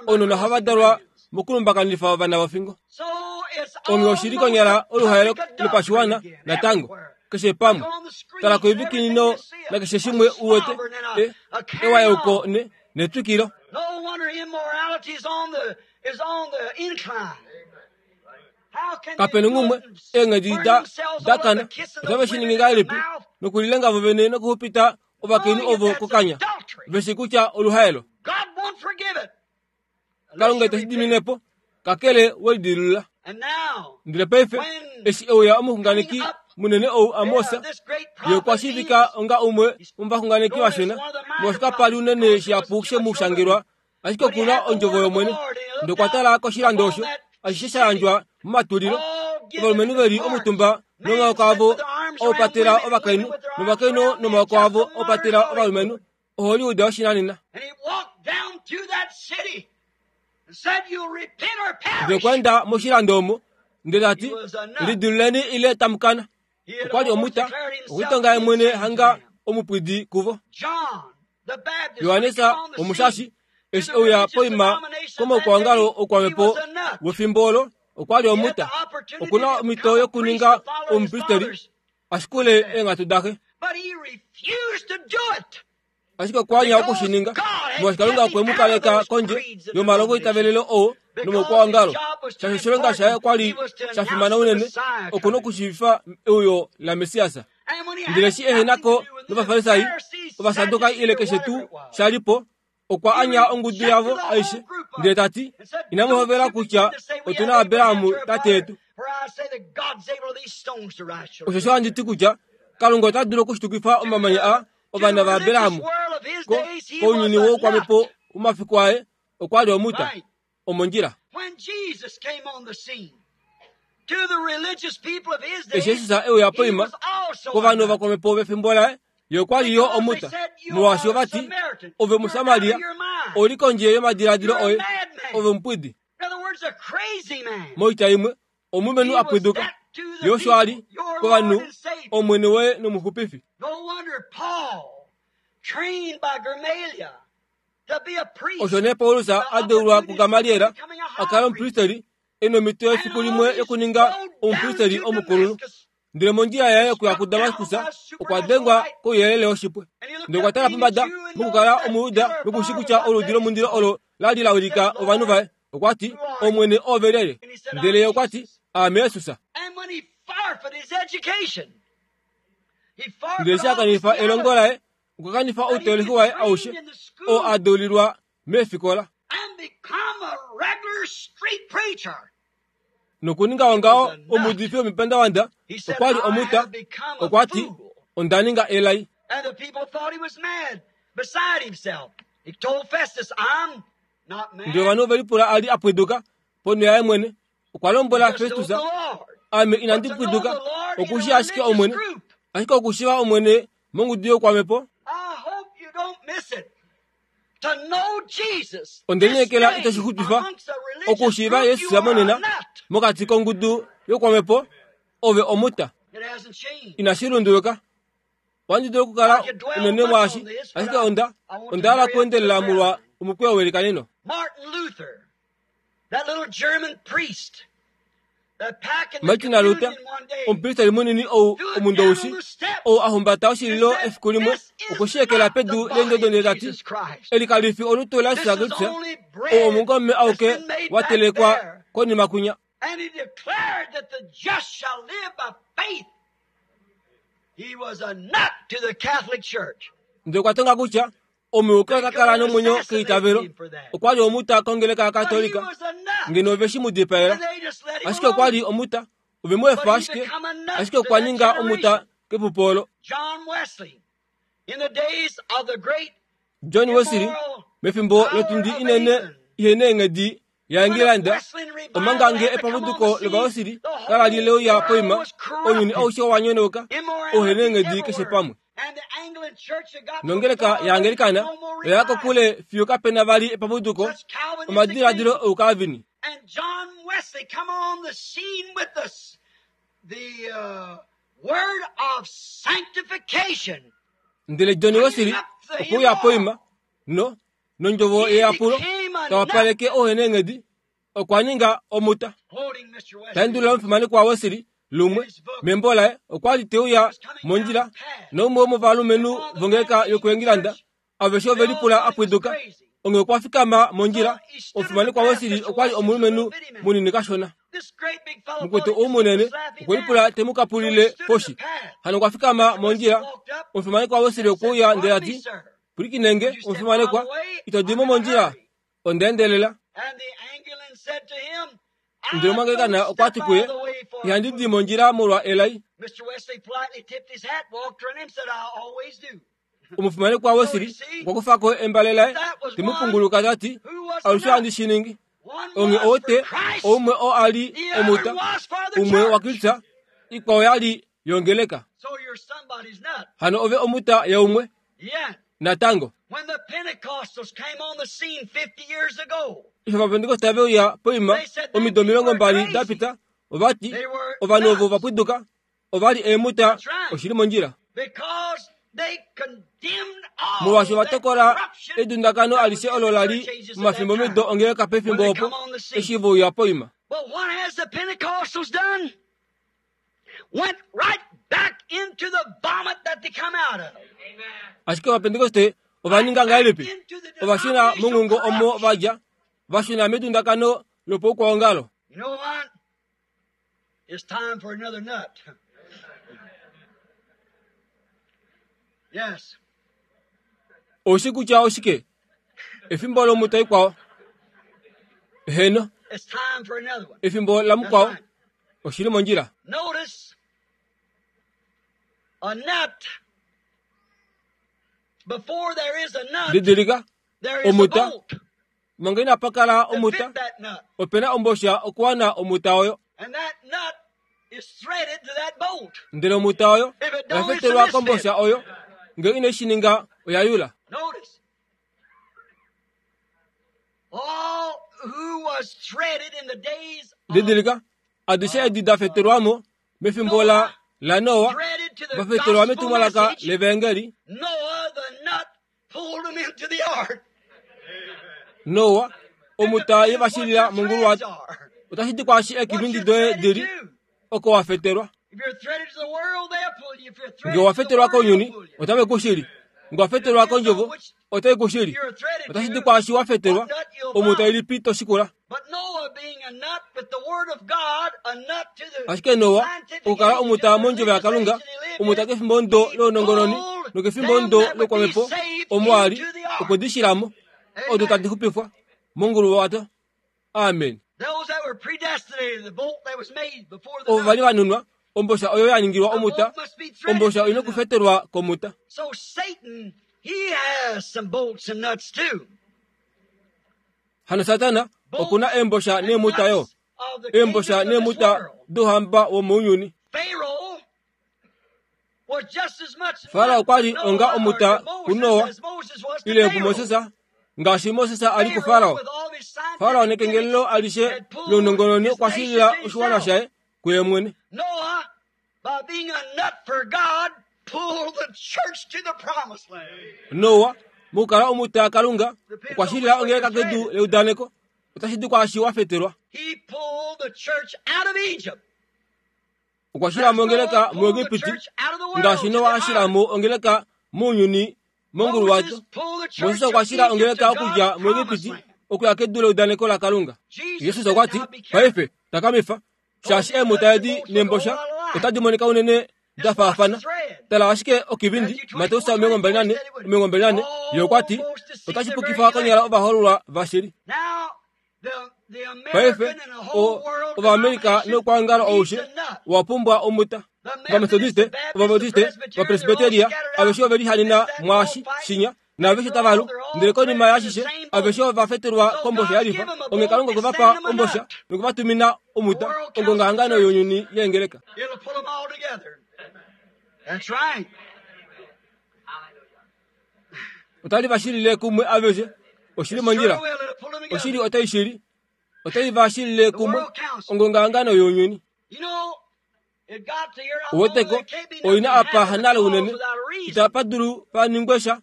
Ounona ohava dalwa mokulumbakanifa ovana vofingo. Onghee oshi li konyala oluhaelo lopashiwana natango, keshe pamwe. Tala koivikinino nakeshe shimwe u wete, e, ewayauko ne, netwikilo. Kape na umwe eenghedi da dakana otave shi ningi ngahelipi nokulilenga vo vene nokuxupita ovakainhu ovo kokanya ve shi kutya oluhaelo. Kalunga ite shi dimine po kakele we lidilulula. Ndele paife eshi e uya omuxunganeki munene ou Amos, ye okwa shiivika onga umwe womovaxunganeki vashona, molwaashi kapa li unene shihapu she mu shangelwa Ashike oku na ondjovo yOmwene. Ndele okwa tala koshilando osho ashishe sha yandjwa momatulilo, ovalumenhu ve li omutumba nomaoko avo oupatela ovakainhu, novakainhu nomaoko avo oupatela ovalumenhu. Ohollywood yoshinanena. Ndele okwa enda moshilando omo, ndele ta ti, Lidiluleni ile tamu kana. Okwa li omuta, okwiitonga ye mwene hanga omupwidi kuvo. Johannes Omushashi eshi e uya poima komaukwaongalo oukwamhepo wefimbo olo, okwa li omuta. Oku na omhito yokuninga omupristeri a shikule eenghatu daxe. Ashike okwa anya oku shi ninga, molwaashi Kalunga okwe mu kaleka kondje yomalongoitavelelo oo nomaukwaongalo. Shaashi oshilonga shaye okwa li sha fimana unene, oku nokushiivifa euyo laMessias. Ndele eshi ehena ko nOvafarisai, Ovasadukai ile keshe tuu sha li po, okwa anya ongudu yavo aishe, ndele ta ti, Inamu hovela kutya otu na Abraham tate yetu. Osho handi ti kutya Kalunga ota dulu okushitukifa omamanya aa ovana vaAbraham. Kounyuni woukwamhepo womafiku aye okwa li omuta. Omondjila. Eshi Jesus e uya poima kovanhu ovakwamhepo vefimbo laye, ye okwa li yo omuta, molwaashi ova ti, Ove Musamaria, ou li kondje yomadiladilo oye, ove omupwidi. Moitya imwe, omulumenhu a pwiduka. Ye osho a li kovanhu, Omwene woye nOmuxupifi. Osho nee Paulus a deulwa kuGamaliel a kale omupristeri e nomhito yefiku limwe yokuninga omupristeri omukulunhu. Ndele mondjila yaye yokuya kuDamaskus okwa dengwa kouyelele woshipwe. Ndele okwa tala pombada mokukala Omuyuda noku shi kutya oludi lomundilo olo la li la wilika ovanhu vaye. Okwa ti, Omwene oove lyelye? Ndele ye okwa ti, Aame Jesus. Ndele eshi a kanifa elongo laye, okwa kanifa outeolohi waye aushe oo a deulilwa meefikola. Nokuninga ongaho omuudifi womepandavanda okwa li omuta, okwa ti, Onda ninga elai. Ndele ovanhu ove lipula a li a pwiduka ponho yaye mwene. Okwa lombwela Festus, Ame inandi pwiduka, oku shii ashike Omwene. Ashike okushiiva Omwene mongudu youkwamhepo. Onde lineekela itashi xupifa okushiiva Jesus monena mokati kongudu yokwamhepo ove omuta. Inashi lunduluka. Ohandi dulu okukala unene mwaashi, ashike onda onda hala okuendelela molwa omukweyo welikaneno. Martin Luther, omupristeri munini ou omundoushi, ou a humbata oshililo efiku limwe, okwe shi ekela pedu leendodo ndele ta ti, Eli kali fi olutu laJesus Kristus, ou omungome auke wa telekwa konima kwinya. And he declared that the just shall live by faith. He was a nut to the Catholic Church. Ndele okwa tonga kutya omuyuki ota kala nomwenyo keitavelo. Okwa li omuta kongeleka yaKatolika, ngeno ove shi mu dipaela. Ashike okwa li omuta, ove mu efa ashike, ashike okwa ninga omuta kepupo olo. John Wesley, mefimbo lotundi inene ihe neenghedi yaEngilanda, omanga nge epapuduko lOvawesili kala li leuya poima, ounyuni aushe owa nyonauka, ouhe neenghedi keshe pamwe. Nongeleka yaAngelikana oya ya kokule fiyo kape na vali epapuduko, omadiladilo ouKalvini. Ndele John Wesley okwe uya poima no nondjovo yeyapulo ta wapaleke ouheneenghedi, okwa ninga omuta. Ta endulula omufimanekwa Wesley lumwe membo laye okwa li te uya mondjila naumwe womovalumenhu vongeleka yokuEngilanda aveshe ove lipula a pwiduka. Onghee okwa fikama mondjila. Omufimanekwa Wesley okwa li omulumenhu munini kashona. Mukwetu ou munene okwe lipula te mu kapulile poshi. Hano okwa fikama mondjila. Omufimanekwa Wesley okwe uya ndele a ti, Pwilikinenge, omufimanekwa, ito di mo mondjila. Onda endelela. Ndele omwangelikana okwa ti kuye, Ihandi di mondjila molwa elai. Omufimanekwa Wesley okwa kufa ko embale laye, te mu punguluka ta ti, Alushe ohandi shi ningi. Onghee oo te, oumwe oo a li omuta, umwe waKristus, ikwao ya li yongeleka. Hano ove omuta yaumwe natango. Eshi Ovapentekoste ve uya poima omido 20 da pita, ova ti, Ovanhu ovo va pwiduka ova li eemuta oshi li mondjila. Molwaashi ova tokola edundakano alishe olo la li momafimbomido ongeleka pefimbo opo eshi ve uya poima. Ashike Ovapentekoste ova ninga ngahelipi? Ova shuna monghungo omo va dja, va shuna medundakano lopaukwaongalo. It's time for another nut. Yes. Oushi kutya oshike? Efimbo lomuta ikwao. Heno. It's time for another one. Efimbo lamukwao. That's right. Oshi li mondjila. Notice a nut. Before there is a nut, Didilika there is a omuta. bolt. Manga inapa kala To omuta, fit that nut. ope na ombosha okuwana omuta oyo. And that nut is threaded to that bolt. Ndele omuta oyo If it oya don't, it's a fetelwa misfit. kombosha oyo. Ngee ine shi ninga, oya yula. Notice. All who was threaded in the days of Didilika, adishe edi da fetelwa mo mefimbo la laNoa, threaded to the va fetelwa gospel metumwalaka message, levangeli. Noah the nut pulled him into the ark. Noa, It omuta ye depends va what shilila your mongulu threads wato. are. Otashi ti kwaashi What eekivindi you're doye threaded di li, to. oko wa fetelwa. If you're threaded to the world, they'll pull you. If you're Nge threaded wa to the fetelwa word, they'll kounyuni, pull you. otave ku shili. Nge wa It fetelwa depends on kondjovo, which otai ku shili. you're threaded Otashi ti to, kwaashi wa fetelwa, what nut you'll omuta follow. ilipi to shikula. But Noah being a nut with the word of God, a nut to the Ashike Noa, scientific okukala age, to omuta the mondjovo religious yaKalunga, age that he lived omuta in, kefimbo ndo he lounongononi, pulled nokefimbo them ndo that would be lokwamhepo, saved omo a li, into the ark. okwe di shila mo, odo Amen. tadi xupifwa mongulu wato. Amen. Those that were predestinated, the bolt that was made before the Ovo va li nut. va nunwa, ombosha oyo ya ningilwa The omuta, bolt must be threaded ombosha to oina the nut. okufetelwa komuta. So Satan, he has some bolts and nuts too. Hano Satana okuna Bolts eembosha and neemuta yo, nuts of the eembosha kingdoms of this neemuta world. douhamba womounyuni. Pharaoh was just as much Farao nut okwa to li onga Noah or omuta to Moses kuNoa as Moses was to ile Pharaoh. kuMoses Ngaashi Moses a li kuFarao, Farao nekengelelo alishe lounongononi okwa shilila oshiwana shaye kuye mwene. Noa, mokukala omuta Kalunga, okwa shilila ongeleka kedu leudaneko. Otashi di kwaashi wa fetelwa. Okwa shila mo ongeleka muEgipiti, ngaashi Noa a shila mo ongeleka mounyuni monguluwato. Moses okwa shila ongeleka okudja muEgipiti okuya kedu leudaneko laKalunga. Jesus okwa ti, Paife, takamifa, shaashi eemuta edi neembosha otadi monika unene da faafana. Tala ashike okivindi, Mateus 24, 24, ye okwa ti, otashi pukifa konyala ovahoololwa vashili. Paife, o, Ovaamerica noukwaongalo aushe owa pumbwa omuta. Ovametodiste, Ovabatiste, Ovapresbiteria, aveshe ove lihanena mwaashi shinya, naaveshe tava lu. Ndele konima yaashishe, aveshe ova fetelwa kombosha ya lifa. Onghee Kalunga okwe va pa ombosha noku va tumina omuta, ongongahangano younyuni yeengeleka. Otali va shilile kumwe aveshe. Oshili mondjila. Oshili otai shili. Otai va shilile kumwe ongongahangano younyuni. Uweteko, oina apa hanale unene, itapa dulu pa ningwe sha,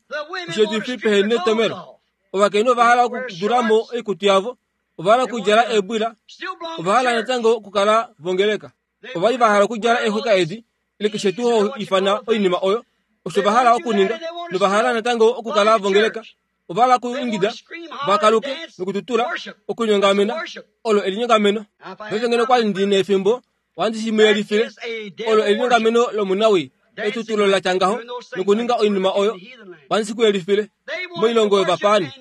osheetifi pehe netomelo. Ovakainhu ova hala okudula mo oikutu yavo, ova hala okudjala eebwila, ova hala natango okukala vongeleka. Ova li va hala okudjala eexwika edi, ile keshe tuu ho ifana oinima oyo, osho va hala okuninga, nova hala natango okukala vongeleka. Ova hala okuingida, va kaluke nokututula, okulinyongamena, olo elinyongameno. Paife ngeno kwa li ndi nefimbo, ohandi shi mu yelifile. Olo elinyongameno lomunawii, etutulo la tya ngaho, nokuninga oinima oyo, ohandi shi ku yelifile. Moilongo yovapaani,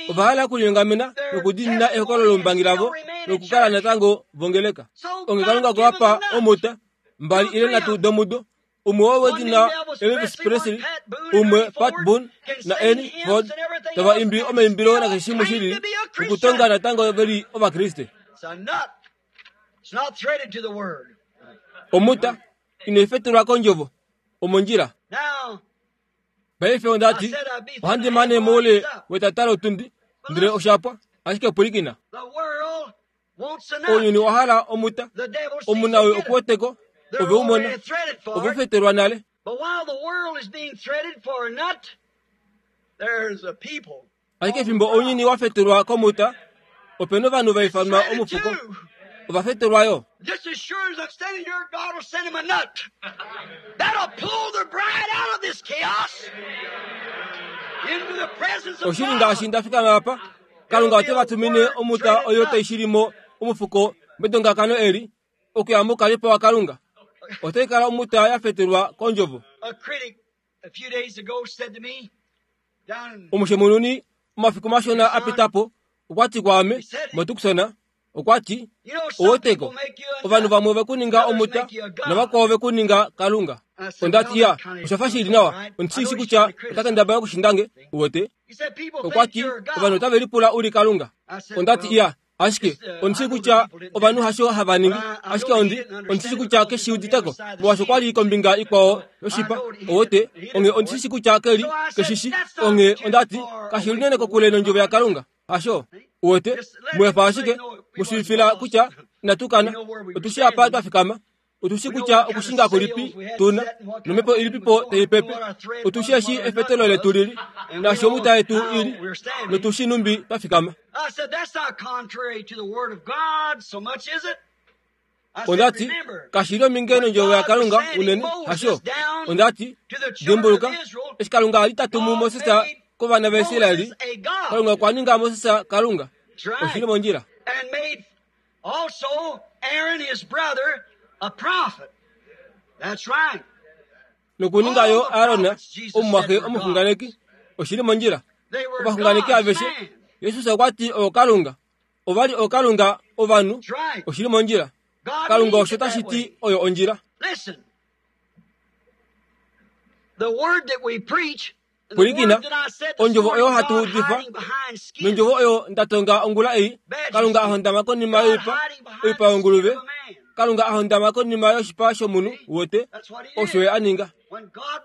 ova hala okulinyongamena nokudiinina ehokololo lombangi lavo nokukala natango vongeleka. Onghee Kalunga okwe va pa omuta, mbali ile nhatu domudo, umwe wo wedina Elvis Presley, umwe Pat Boone na Ernie Ford, tava imbi omaimbilo nakeshe shimwe shi lili, nokutonga natango ve li Ovakriste. Omuta inai fetelwa kondjovo, omondjila. Paife onda ti, ohandi mane moule wetata lotundi, ndele osha pwa. Ashike pwilikina. Ounyuni owa hala omuta. Omunawii oku wete ko, ove u mona. Ove u fetelwa nale. Ashike fimbo ounyuni wa fetelwa komuta, ope na ovanhu va ifanwa omufuko. Ova fetelwa yo. Oshili ngaashi nda fikama apa, Kalunga ote va tumine omuta oyo tai shili mo omufuko medongakano eli, okuya moukalipo waKalunga. Otai kala omuta ya fetelwa kOndjovo. Omushemununi omafiku mashona a pita po okwa ti kwaame moTucson, okwa ti, Oweteko, ovanhu vamwe ove ku ninga omuta navakwao ove ku ninga Kalunga. Onda ti, Ya, osha fa shi li nawa. Ondi shi shi kutya ota kendabala okushinda nge, uwete. Okwa ti, Ovanhu otave lipula u li Kalunga. Onda ti, Ya, ashike ondi shii kutya ovanhu hasho hava ningi. Ashike ondi, ondi shi kutya ke shi udite ko, molwaashi okwa li kombinga ikwao yoshipa, uwete. Onghee ondi shi shi kutya ke li, ke shi shi. Onghee onda ti, Kashi li nene kokule nOndjovo yaKalunga. Hasho, uwete, mu efa ashike, mu shiivifila kutya inatu kana. Otu shii apa twa fikama. Otu shii kutya okushinga kulipi tu na, nomhepo ilipipo tai pepe. Otu shii eshi efetelo letu lili, naashi omuta yetu ili, notu shii numbi twa fikama. Onda ti, Kashi li ominge nondjovo yaKalunga unene, hasho? Onda ti, Dimbuluka, eshi Kalunga a li ta tumu Moses kovana vaIsrael, Kalunga okwa ninga Moses Kalunga. Oshi li mondjila. Nokuninga yo Aron omumwaxe omuxunganeki. Oshi li mondjila. Ovaxunganeki aveshe, Jesus okwa ti ookalunga. Ova li ookalunga ovanhu. Oshi li mondjila. Kalunga osho tashi ti oyo ondjila. Pwilikina, ondjovo oyo hatu udifa, nondjovo oyo nda tonga ongula ei, Kalunga a hondama konima yoipa, oipa yonguluve. Kalunga a hondama konima yoshipa shomunhu, uwete, osho Ye a ninga.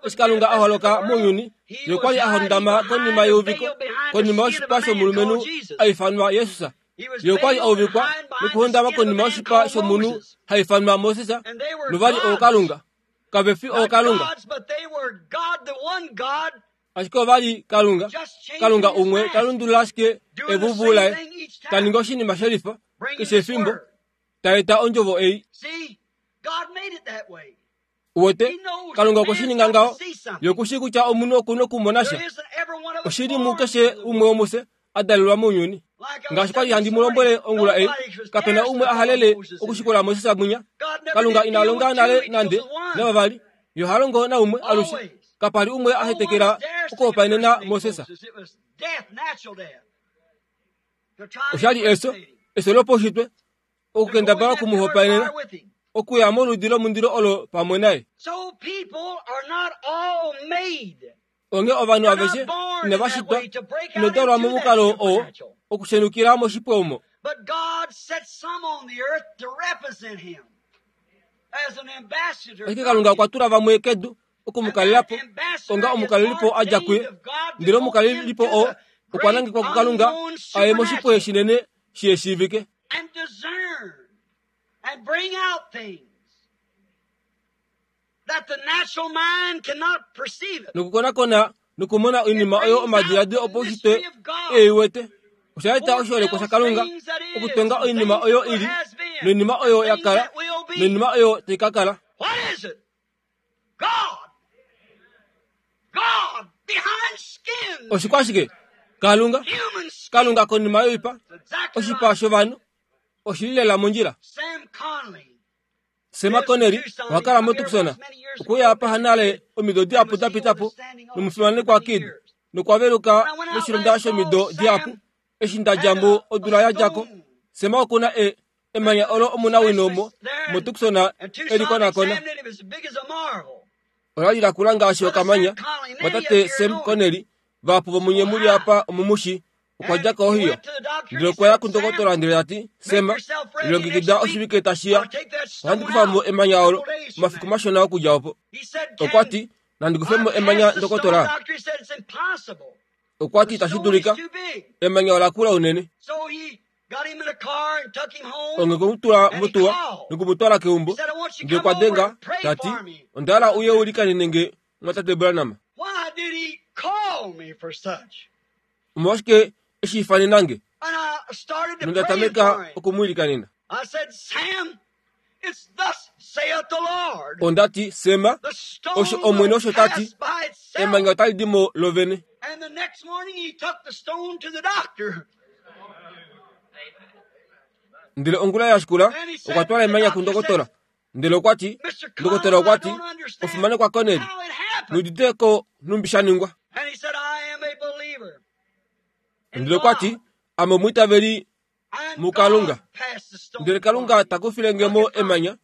Eshi Kalunga a holoka mounyuni, Ye okwa li a hondama konima yeuviko, konima yoshipa shomulumenhu a ifanwa Jesus. Ye okwa li a uvikwa nokuhondama konima yoshipa shomunhu ha ifanwa Moses, nova li ookalunga. Kave fi ookalunga. Ashike ova li Kalunga, Kalunga umwe ta lundulula ashike evuvu laye, ta ningi oshinima shelifa keshe efimbo, ta eta ondjovo ei. Uwete, Kalunga okwe shi ninga ngaho. Ye oku shii kutya omunhu oku nokumona sha. Oshi li mukeshe umwe womufye a dalelwa mounyuni. Ngaashi kwa li handi mu lombwele ongula ei, kape na umwe a halele okushikula Moses mwinya. Kalunga ina longa nale nande navavali. Ye oha longo naumwe alushe. Kapa li umwe a hetekela okuhopaenena Moses. Osha li efyo, efyo lopaushitwe, okukendabala oku mu hopaenena, okuya moludi lomundilo olo pamwe naye. Onghee ovanhu aveshe inava shitwa, ino dalwa momukalo oo okushenukila moshipwe omo. Ashike Kalunga okwa tula vamwe kedu oku mu kalela po onga omukalelipo a dja kuye, ndele omukalelipo oo okwa nangekwa kuKalunga a ye moshipwe shinene shi shiivike. Nokukonakona nokumona oinima oyo omadiladilo opaushitwe e i wete, osha eta oshiholekwa shaKalunga okutonga oinima oyo i li, noinima oyo ya kala, noinima oyo tai ka kala. Oshikwashike? Kalunga, Kalunga konima yoipa, oshipa shovanhu, oshi li lela mondjila. Sema Connery oha kala moTucson. Okwe uya apa hanale omido dihapu da pita po nomufimanekwa Kidd nokwa veluka moshilonda shomido dihapu. Eshi nda dja mo odula ya dja ko, Sema oku na e, emanya olo omunawino mo, moTucson e li konakona. Ola li la kula ngaashi okamanya. Mwatate Sam Connelly, vahapu vomunye mu li apa omumushi, okwa dja koOhio. Ndele okwa ya kundokotola ndele ta ti, Sam, lilongekida oshivike tashi ya. Ohandi kufa mo emanya olo, omafiku mashona okudja opo. Okwa ti, Nandi kufe mo emanya, ndokotola? Okwa ti, Itashi dulika. Emanya ola kula unene. Onge okwe mu tula motuwa noku mu twala keumbo, ndele okwa denga, ta ti, Onda hala uye u likanene nge mwatate Branham. Omolwashike e shi ifanena nge? Nonda tameka oku mu ilikanena. Onda ti, Sema, osho Omwene osho ta ti, emanya otali di mo lovene. Ndele ongula ya shikula okwa twala emanya kundokotola. Ndele okwa ti, ndokotola okwa ti, ofimanekwa Koneli, nudite ko nhumbi sha ningwa. Ndele okwa ti, ame omwiitaveli muKalunga. Ndele Kalunga ta kufile nge mo emanya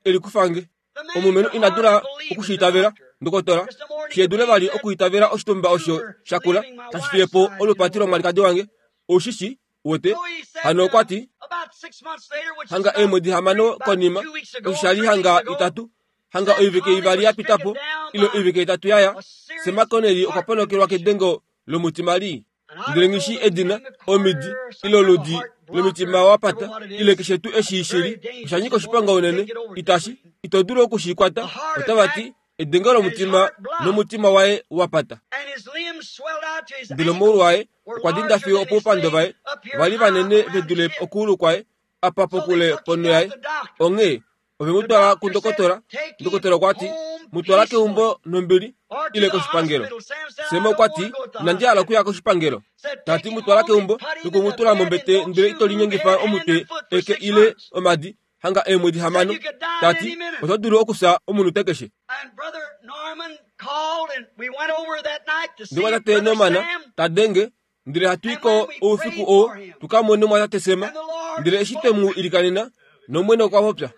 e li kufa nge. Omulumenhu ina dula oku shi itavela, ndokotola, shi dule vali okuitavela oshitumba osho sha kula tashi fiye po olupati lomwalikadi wange. Ou shi shi, wete. Hano okwa ti, hanga eemwedi hamano konima, osho sha li hanga itatu, hanga oivike ivali ya pita po, ile oivike itatu ya ya, Sam Connelly okwa ponokelwa kedengo lomutima lii. Ndele nghi shii edina, omidi, ile oludi lomitima wa pata, ile keshe tuu eshi shi li, osha nyika oshiponga unene, itashi, ito dulu oku shi kwata. Otava ti, Edengo lomutima nomutima waye wa pata. Ndele omaulu aye okwa dinda fiyo opoupando vaye va li vanene ve dule okuulu kwaye, apa pokule ponho yaye. Onghee ove mu twala kundokotola. Ndokotola okwa ti, Mu twala keumbo nombili, ile koshipangelo. Sam okwa ti, Inandi hala okuya koshipangelo. Ta ti, Mu twala keumbo noku mu tula mombete ndele ito linyengifa omutwe, eke ile omadi, hanga eemwedi hamano. Ta ti, Oto dulu okufya omunute keshe. Ndele tate Norman ta denge, ndele hatu i ko oufiku oo tu ka mone mwatate Sam. Ndele eshi twe mu ilikanena, nOmwene okwa popya.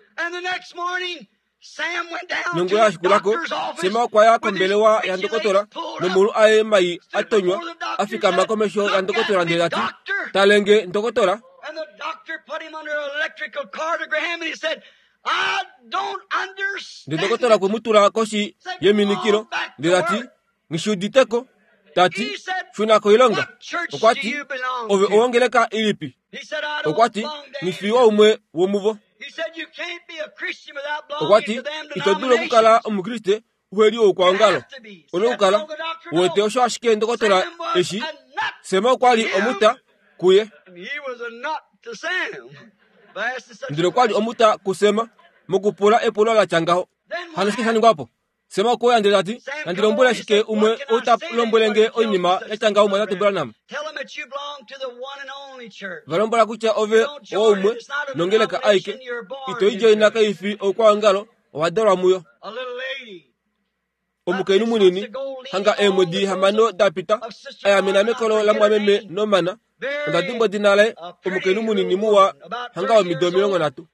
Nongula ya shikula ko, Sam okwa ya kombelewa yandokotola nomaulu aye mai a tonywa, a fikama komesho yandokotola ndele ta ti, Tale nge, ndokotola. Ndele ndokotola okwe mu tula koshi yeminikilo, ndele ta ti, Nghi shi udite ko. Ta ti, Shuna koilonga. Okwa ti, Ove owongeleka ilipi? Okwa ti, Nghi fi waumwe womuvo. Okwa ti, Ito dulu okukala Omukriste uhe li oukwaongalo. Une okukala u wete osho ashike ndokotola eshi. Sem okwa li omuta kuye. Ndele okwa li omuta kuSem mokupula epulo la tya ngaho. Hano shike sha ningwa po? Sem okwe uya ndele ta ti, Nandi lombwele ashike umwe ou ta lombwele nge oinima ya tya ngaho Mwatate Branham. Va lombwela kutya ove owaumwe nongeleka aike. Ito i djoina kai fi oukwaongalo, owa dalwa muyo. Omukainhu munini, hanga eemwedi hamano da pita, a yamena mekolo lamwameme Norman, onda dimbwa edina laye, omukainhu munini muwa, hanga womido 30.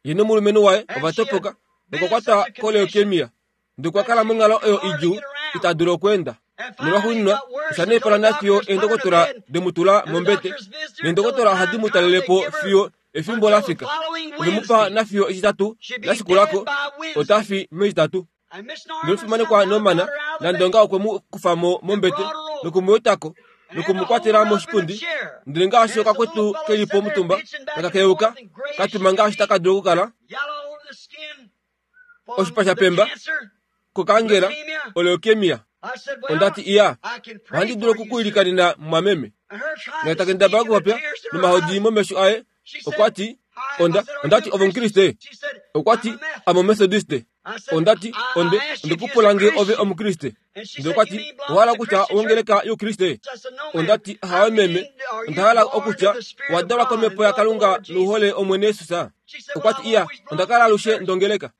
Ye nomulumenhu waye ova topoka nokwa kwatwa koleukemia ndele okwa kala monghalo oyo idjuu ita dulu okweenda. Nolwaxuuninwa osha naipala nafiyo eendokotola de mu tula mombete, neendokotola ohadi mu talele po fiyo efimbo la fika. Ove mu pa nafiyo Etitatu la shikula ko, ota fi mEtitatu. Nomufimanekwa Norman Nandonga okwe mu kufa mo mombete noku mu eta ko noku mu kwatela moshipundi, ndele ngaashi okakwetu ke li po omutumba taka keyuka ka tuma ngaashi taka dulu okukala. Oshipa sha pemba kokangela oleukemia. Onda ti, Iya, ohandi dulu oku ku ilikanena mumwameme. Ndele ta kendabala okupopya nomahodi momesho aye, okwa ti, Onda, onda ti, Ove Omukriste? Okwa ti, Ame Omethodiste. Onda ti, Onde, onde ku pula nge ove Omukriste. Ndele okwa ti, Owa hala okutya owongeleka yOukriste? Onda ti, Ahawe meme, onda hala okutya owa dalwa kOmhepo yaKalunga nou hole Omwene Jesus. Okwa ti, Iya, onda kala alushe ndongeleka.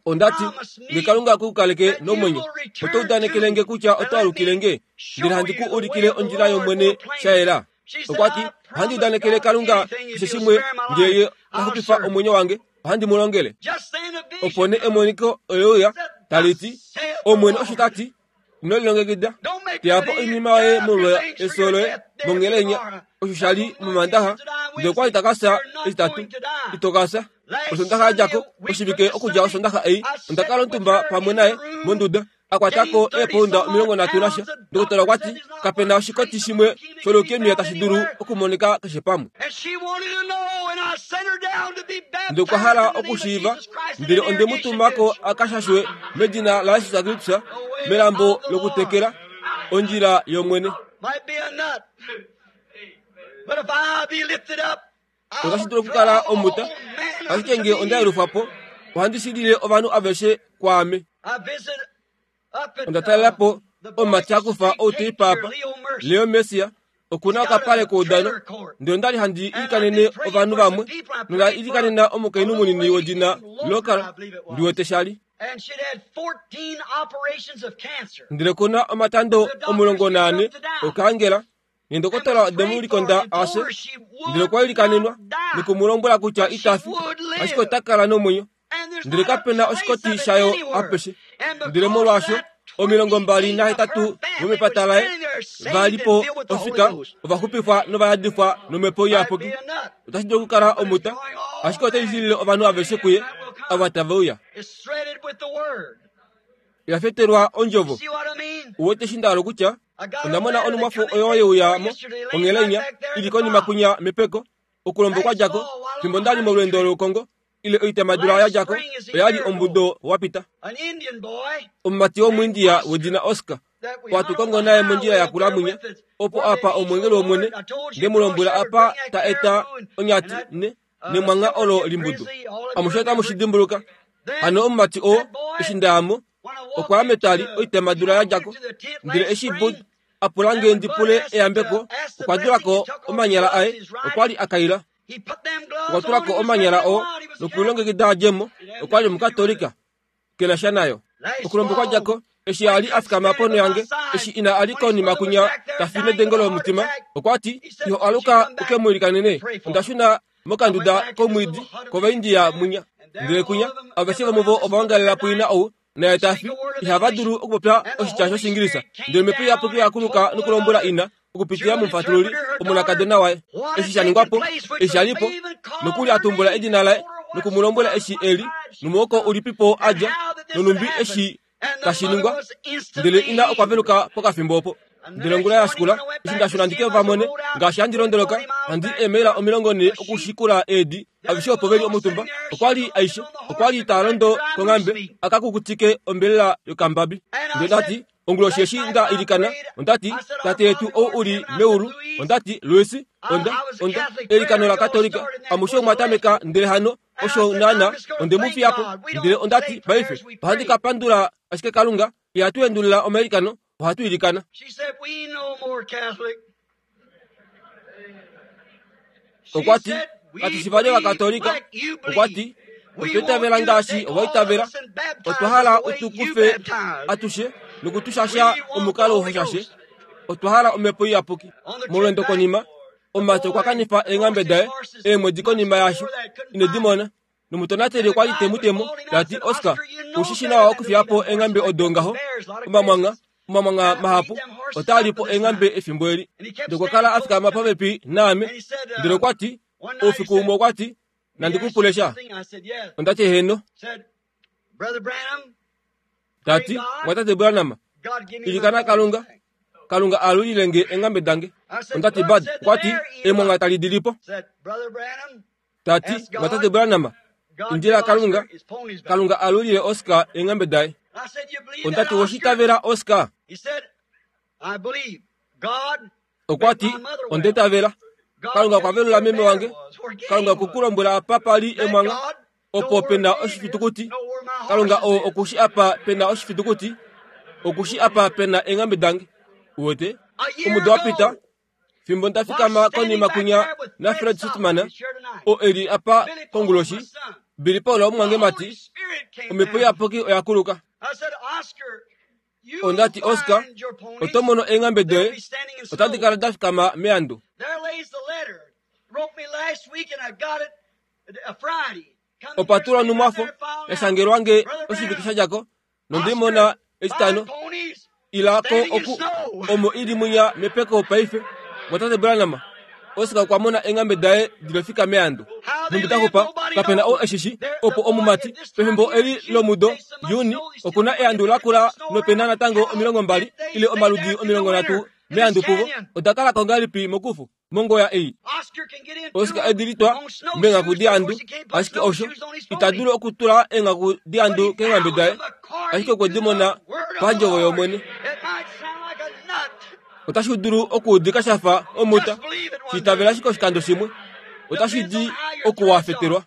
Onda ti, Nge Kalunga ku kaleke nomwenyo, oto udanekele nge kutya oto alukile nge, ndele handi ku ulikile ondjila yOmwene sha yela? Okwa ti, Ohandi udanekele Kalunga keshe shimwe nge Ye ta xupifa omwenyo wange, ohandi mu longele. Opo nee emoniko ole uya, tali ti, Omwene osho ta ti, Ino lilongekida, teya po oinima yoye molwa efyo loye mongelenya, osho sha li mOmandaxa, ndele okwa li ta ka fya Etitatu. Ito ka fya. Osondaxa ya dja ko, oshivike okudja Osondaxa ei, onda kala omutumba pamwe naye monduda, a kwata ko eepounda 30 nasha. Ndokotola okwa ti, Kape na oshikoti shimwe sholeukemia tashi dulu okumonika keshe pamwe. Ndele okwa hala okushiiva, ndele onde mu tuma ko a ka shashwe medina laJesus Kristus melambo lokutekela, ondjila yOmwene. Otashi dulu okukala omuta, ashike nge onda yelufwa po, ohandi shilile ovanhu aveshe kwaame. Onda talela po omumati a kufa outeipa apa, Leo Mercier, oku na okapale koudano, ndele onda li handi ilikanene ovanhu vamwe, nonda ilikanena omukainhu munini wedina Local, ndi wete sha li. Ndele ku na omatando 14 okaangela, Neendokotola ode mu likonda a fye, ndele okwa ilikanenwa noku mu lombwela kutya ita fi, ashike ota kala nomwenyo. Ndele kape na oshikoti shayo apeshe. Ndele molwaasho 28 vomepata laye va li po ofika ova xupifwa nova yadifwa nomhepo iyapuki. Otashi dulu okukala omuta, ashike otai shilile ovanhu aveshe kuye ava tave uya. Ya fetelwa ondjovo. Uwete eshi nda hala okutya? Onda mona onhumwafo oyo ye uya mo onghela inya, i li konima kwinya mepeko, okulombo kwa dja ko, fimbo nda li molweendo loukongo, ile oitamadula ya dja ko, oya li omudo wa pita. Omumati wOmuindia wedina Oscar, oo hatu kongo naye mondjila ya kula mwinya, opo apa omweengeli wOmwene, nde mu lombwela apa ta eta onyati ne, nemwangha olo limbudu. Amushe otamu shi dimbuluka. Hano omumati oo, eshi nda ya mo, okwa ya metwali oitamadula ya dja ko. Ndele eshi Bud a pula nge ndi pule eyambeko, okwa dula ko omanyala aye, okwa li a kaila. Okwa tula ko omanyala oo nokulilongekida a dje mo, okwa li Omukatolika. Ke na sha nayo. Okulombo kwa dja ko, eshi a li a fikama ponho yange, eshi ina a li konima kwinya ta fi nedengo lomutima, okwa ti, Iho aluka u ke mu ilikanene. Onda shuna mokanduda komwiidi kOvaindia mwinya. Ndele kwinya, aveshe vomuvo ova ongalela puina ou, naye ta fi. Ihava dulu okupopya oshitya shOshiingilisa. Ndele Omhepo Iyapuki oya kuluka nokulombwela ina, okupitila momufatululi, omonakadona waye, eshi sha ningwa po, eshi sha li po, nokuli a tumbula edina laye noku mu lombwela eshi e li, nomuhoko ulipipo a dja, nonhumbi eshi tashi ningwa. Ndele ina okwa veluka pokafimbo opo. Ndele ongula ya shikula, eshi nda shuna ndi ke va mone, ngaashi handi londoloka, handi eemaila 40 okushikula eedi, aveshe opo ve li omutumba, okwa li aishe, okwa li taa londo konghambe a ka kukutike ombelela yokambabi. Ndele nda ti, Onguloshi eshi nda ilikana, onda ti, Tate yetu ou u li meulu, onda ti, Louis, onda, onda, eilikano laKatolika, amushe omwa tameka, ndele hano, osho naana, onde mu fiya po. Ndele onda ti, Paife, ohandi ka pandula ashike Kalunga, ihatu endulula omailikano, ohatu ilikana. Okwa ti, Katu shi vali Ovakatolika. Okwa ti, Otwa itavela ngaashi owa itavela. Otwa hala u tu kufe atushe noku tu shasha omukalo ho shashe. Otwa hala Omhepo Iyapuki. Molweendo konima, omumati okwa kanifa eenghambe daye eemwedi konima yaasho ine di mona. Nomutonateli okwa li te mu temo, ta ti, Oscar, ou shi shi nawa okufiya po eenghambe odo ngaho. Omamwangha, omamwangha mahapu otaa li po eenghambe efimbo eli. Ndele okwa kala a fikama popepi naame. Ndele okwa ti, oufiku umwe okwa ti, Nandi ku pule sha? Onda ti, Heeno. Ta ti, Mwatate Branham, ilikana Kalunga, Kalunga a alulile nge eenghambe dange. Onda ti, Bud, okwa ti, Emwangha tali di li po. Ta ti, Mwatate Branham, indila Kalunga, Kalunga a alulile Oscar eenghambe daye. Onda ti, Owa itavela Oscar? Okwa ti, Onda itavela. Kalunga okwa velula meme wange. Kalunga okwe ku lombwela apa pa li emwangha, opo pe na oshifitukuti. Kalunga oo oku shi apa pe na oshifitukuti. Oku shi apa pe na eenghambe dange. Uwete? Omudo wa pita, fimbo nda fikama konima kwinya naFred Sothmann, oo e li apa konguloshi, Billy Paul omumwangemati, Omhepo Iyapuki oya kuluka. Onda ti, Oscar, oto mono eenghambe doye otadi kala da fikama meandu. Opa tulwa onhumwafo ya shangelwa nge oshivike sha dja ko, nonde i mona Etitano. Ila ko oku, omo i li mwinya mepeko paife, mwatate Branham. Oscar okwa mona eenghambe daye di li ofika meandu. Nhumbi da xupa, kape na ou e shi shi. Opo omumati, pefimbo eli lomudo, Juni, oku na eandu lakula nope na natango 20 ile omaludi 30 meandu puvo. Oda kala ko ngahelipi mokufu? Mongoya ei. Oscar edi litwa meenghaku deandu, ashike osho ita dulu okutula eenghaku deandu keenghambe daye, ashike okwe di mona pandjovo yOmwene. Otashi dulu okuudika sha fa omuta, shi itavela ashike oshikando shimwe, otashi di okuwafetelwa.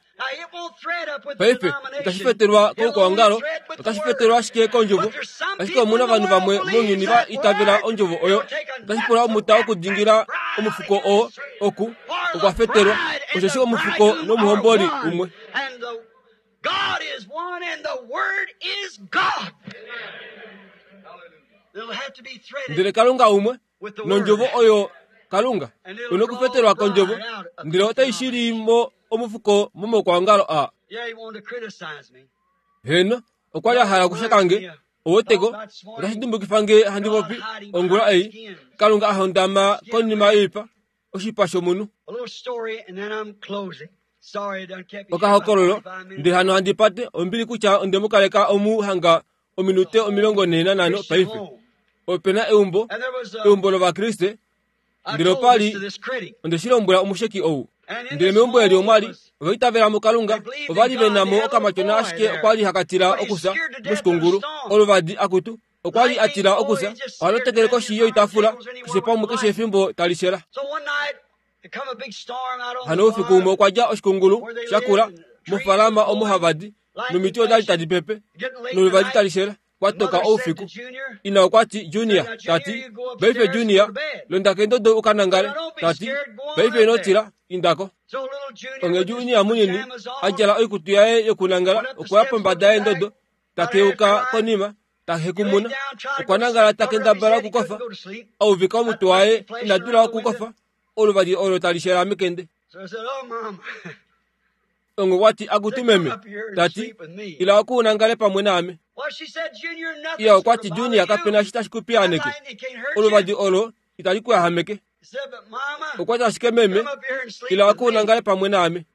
Paife itashi fetelwa koukwaongalo, otashi fetelwa ashike kondjovo. Ashike omu na ovanhu vamwe mounyuni va itavela ondjovo oyo. Otashi pula omuta okudingila omufuko oo oku okwa fetelwa, osheshi omufuko nomuhomboli umwe. Ndele Kalunga umwe, nondjovo oyo Kalunga, u nokufetelwa kondjovo, ndele otai shili mo omufuko momaukwaongalo aa. Heeno, okwa li a hala okusheka nge. Oweteko, otashi dimbukifa nge handi popi ongula ei, Kalunga a hondama konima yoipa, oshipa shomunhu. Okahokololo, ndele hano handi pate ombili kutya onde mu kaleka omu hanga ominute 45 paife. Ope na eumbo, eumbo lOvakriste, ndele opa li, onde shi lombwela omusheki ou. Ndele meumbo eli omwa li, ova itavela muKalunga, ova li ve na mo okamatyona ashike okwa li haka tila okufya moshikungulu, oluvadi akutu, okwa li a tila okufya, oha lotekele koshi yoitafula keshe pamwe keshe efimbo tali shela. Hano oufiku umwe okwa dja oshikungulu sha kula mofaalama omo hava di, nomiti oda li tadi pepe, noluvadi tali shela. Kwa toka oufiku. Ina okwa ti, Junior, ta ti, paife Junior, londa kendodo u ka nangale. Ta ti, paife ino tila, inda ko. Onghee Junior munini a djala oikutu yaye yokunangala okwa ya pombada yendodo, ta keuka konima, ta hekumuna. Okwa nangala ta kendabala okukofa, a uvika omutwe waye, ina dula okukofa, oluvadi olo tali shela mekende. Ongo kwa ti, Akutu meme, ta ti, ila oku u nangale pamwe naame. Iya okwa ti, Junior, kape na shi tashi ku piyaaneke. Oluvadi olo itali ku yahameke. Okwa ti ashike, Meme, ila oku u nangale pamwe naame.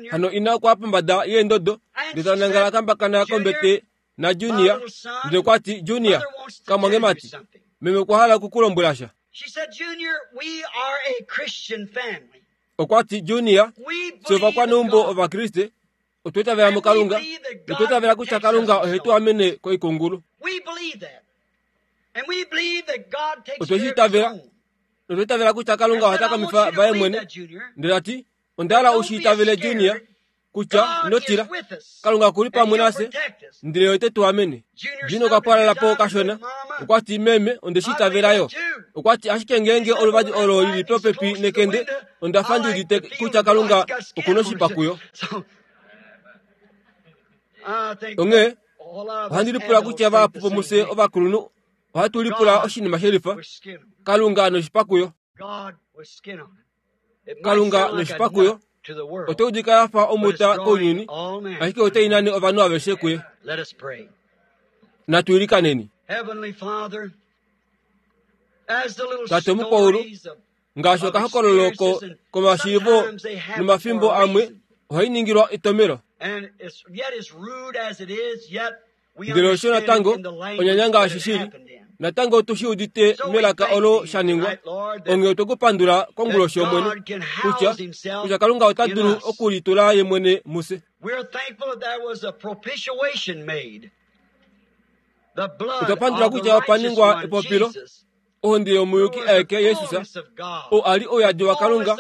Hano ina okwa ya pombada yeendodo ndele ta nangala a kambakana kombete naJunior, ndele okwa ti, Junior, kamwangemati, meme okwa hala oku ku lombwela sha. Okwa ti, Junior, fye ovakwaneumbo Ovakriste otwa itavela muKalunga notwa itavela kutya Kalunga ohe tu amene koikungulu. Otwe shi itavela notwa itavela kutya Kalunga oha takamifa vaye mwene. Ndele ta ti, Onda hala u shi itavele, Junior, kutya ino tila. Kalunga oku li pamwe nafye, ndele ote tu amene. Junior okwa pwalala po kashona. Okwa ti, Meme, onde shi itavela yo. Okwa ti, Ashike ngeenge oluvadi olo li li popepi nekende, onda fa ndi udite kutya Kalunga oku noshipa kuyo. Onghee ohandi lipula kutya vahapu vomufye ovakulunhu ohatu lipula oshinima shelifa, Kalunga noshipa kuyo. Kalunga noshipa kuyo otai udika ya fa omuta kounyuni, ashike otai nane ovanhu aveshe kuye. Natu ilikaneni. Tate Omukwaulu, ngaashi okahokololo komashiivo nomafimbo amwe ohai ningilwa etomelo. Ndele osho natango onyanya ngaashi shili, natango otu shi udite melaka olo sha ningwa. Onghee otwe ku pandula konguloshi Omwene, kutya, kutya Kalunga ota dulu okulitula Ye mwene mufye. Otwa pandula kutya opa ningwa epopilo, ohonde yomuyuki aeke Jesus, oo a li ouyadi waKalunga,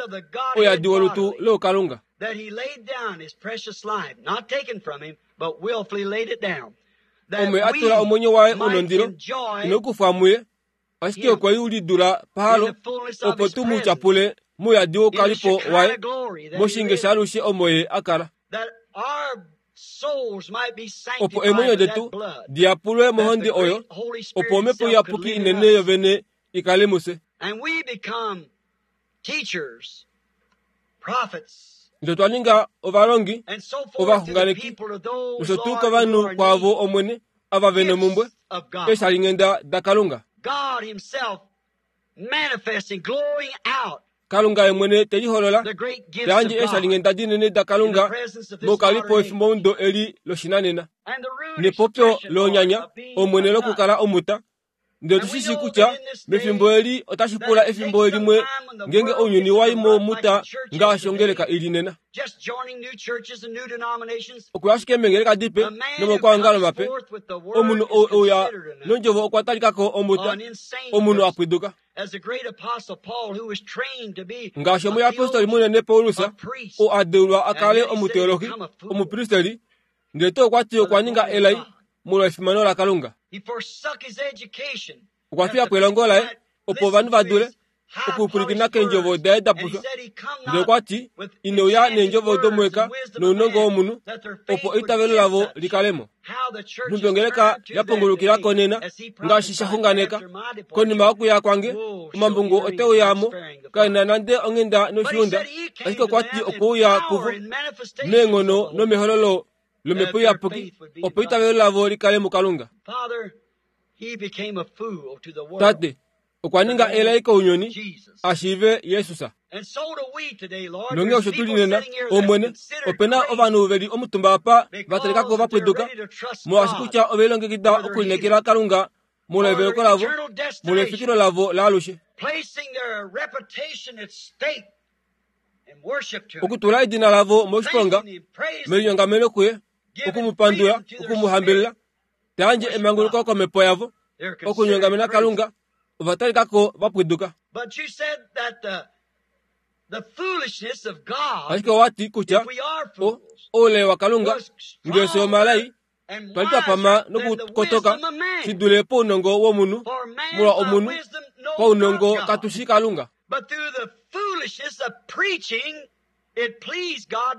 ouyadi wolutu loukalunga. Omwe a tula omwenyo waye u nondilo, ino kufwa muye, ashike okwe u lidula pahalo, opo tu mu tyapule mouyadi woukalipo waye, moshinge shaalushe omo ye a kala. Opo eemwenyo detu di yapulwe mohonde oyo, opo Omhepo Iyapuki inene yovene i kale mufye. Ndele otwa ninga ovalongi, ovaxunganeki, nosho tuu kovanhu kwaavo Omwene, ava ve nomumbwe, eeshalinghenda daKalunga. Kalunga ye mwene te liholola, ta yandje eeshalinghenda dinene daKalunga mokalipo efimbomudo eli loshinanena. Nepopyo lonyanya, Omwene lokukala omuta, Ndele otu shi shii kutya mefimbo eli otashi pula efimbo limwe ngeenge ounyuni wa i momuta ngaashi ongeleka i li nena. Okuya ashike meengeleka dipe nomomaukwaongalo mape, omunhu ou e uya nondjovo okwa talika ko omuta, omunhu a pwiduka. Ngaashi omuyapostoli munene Paulus, oo a deulwa a kale omuteolohi, omupristeli, Ndele tuu okwa ti okwa ninga elai molwa efimano laKalunga. Okwa fiya po elongo laye opo ovanhu va dule okupwilikina keendjovo daye da pushwa. Ndele okwa ti, Ine uya neendjovo domuweka nounongo womunhu, opo eitavelo lavo li kale mo. Nhumbi ongeleka ya pongolukila ko nena, ngaashi sha xunganeka, konima yokuya kwange, omambungu ote uya mo, kae na nande onghenda noshiunda, ashike okwa ti okwe uya kuvo meenghono nomehololo lOmhepo Iyapuki, opo eitavelo lavo li kale muKalunga. Tate, okwa ninga elai kounyuni a shiive Jesus. Nonghee osho tu li nena, Omwene, ope na ovanhu ve li omutumba apa va talika ko va pwiduka, molwaashi kutya ove lilongekida okulineekela Kalunga molweveleko lavo, molwefikilo lavo laalushe. Okutula edina lavo moshiponga melinyongameno kuye, oku mu pandula, oku mu hambelela, ta yandje emanguluko komhepo yavo, okunyongamena Kalunga, ova talika ko va pwiduka. Ashike owa ti kutya o, oulai waKalunga, ngee fye omalai, twa li twa pama nokukotoka shi dule pounongo womunhu, molwa omunhu, paunongo katu shii Kalunga.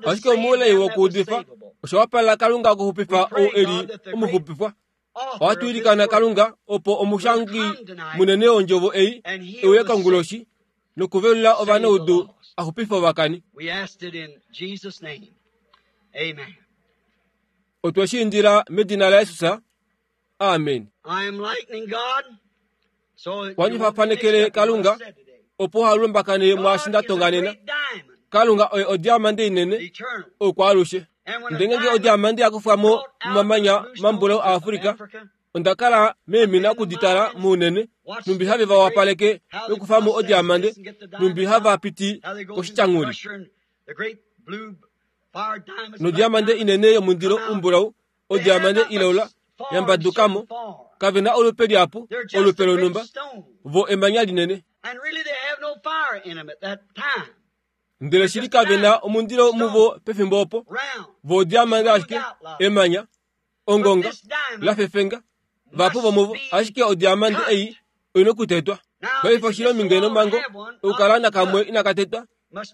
Ashike omoulai wokuudifa, osha wapalela Kalunga okuxupifa ou e li omuxupifwa. Ohatu ilikana Kalunga opo omushangi munene wondjovo ei e uye konguloshi nokuvelula ovanaudu a xupife ovakani. Otwe shi indila medina laJesus. Amen. Ohandi fafanekele Kalunga opo halumbakane mwaashi nda tonganena. Kalunga oye odiamande inene oukwaalushe. Ndele ngeenge odiamande ya kufwa mo momamanya mambulau aAfrika, onda kala meemina okuditala mounene, nhumbi have va wapaleke nokufa mo odiamande, nhumbi hava piti koshityanguli. Nodiamande inene yomundilo umbulau odiamande ilaula ya mbadukamo, kave na olupe liapu, olupe lonhumba, vo emanya linene. Ndele shili kave na omundilo muvo pefimbo opo, vo odiamande ashike, emanya, ongonga, lafefenga, vahapu vomuvo, ashike odiamande ei oina okutetwa. Paife oshi li ominge nomhango okukala nakamwe inaka tetwa,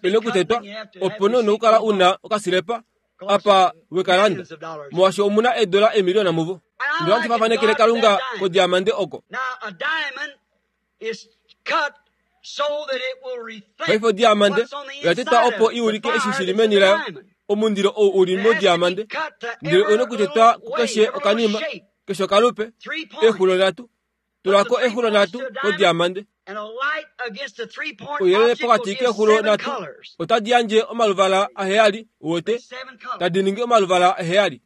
oina okutetwa, opo nee nokukala u na okasilepa apa we ka landa, molwaashi omu na eedola eemiliyona muvo. Ndele ohandi fafanekele Kalunga kodiamande oko. Paife odiamande oya tetwa opo i ulike eshi shi li meni layo, omundilo ou u li modiamande. Ndele oina okutetwa kukeshe okanima, keshe okalupe, eexulo nhatu. Tula ko eexulo nhatu kodiamande. Ouyelele pokati keexulo nhatu otadi yandje omaluvala aheyali, uwete, tadi ningi omaluvala aheyali.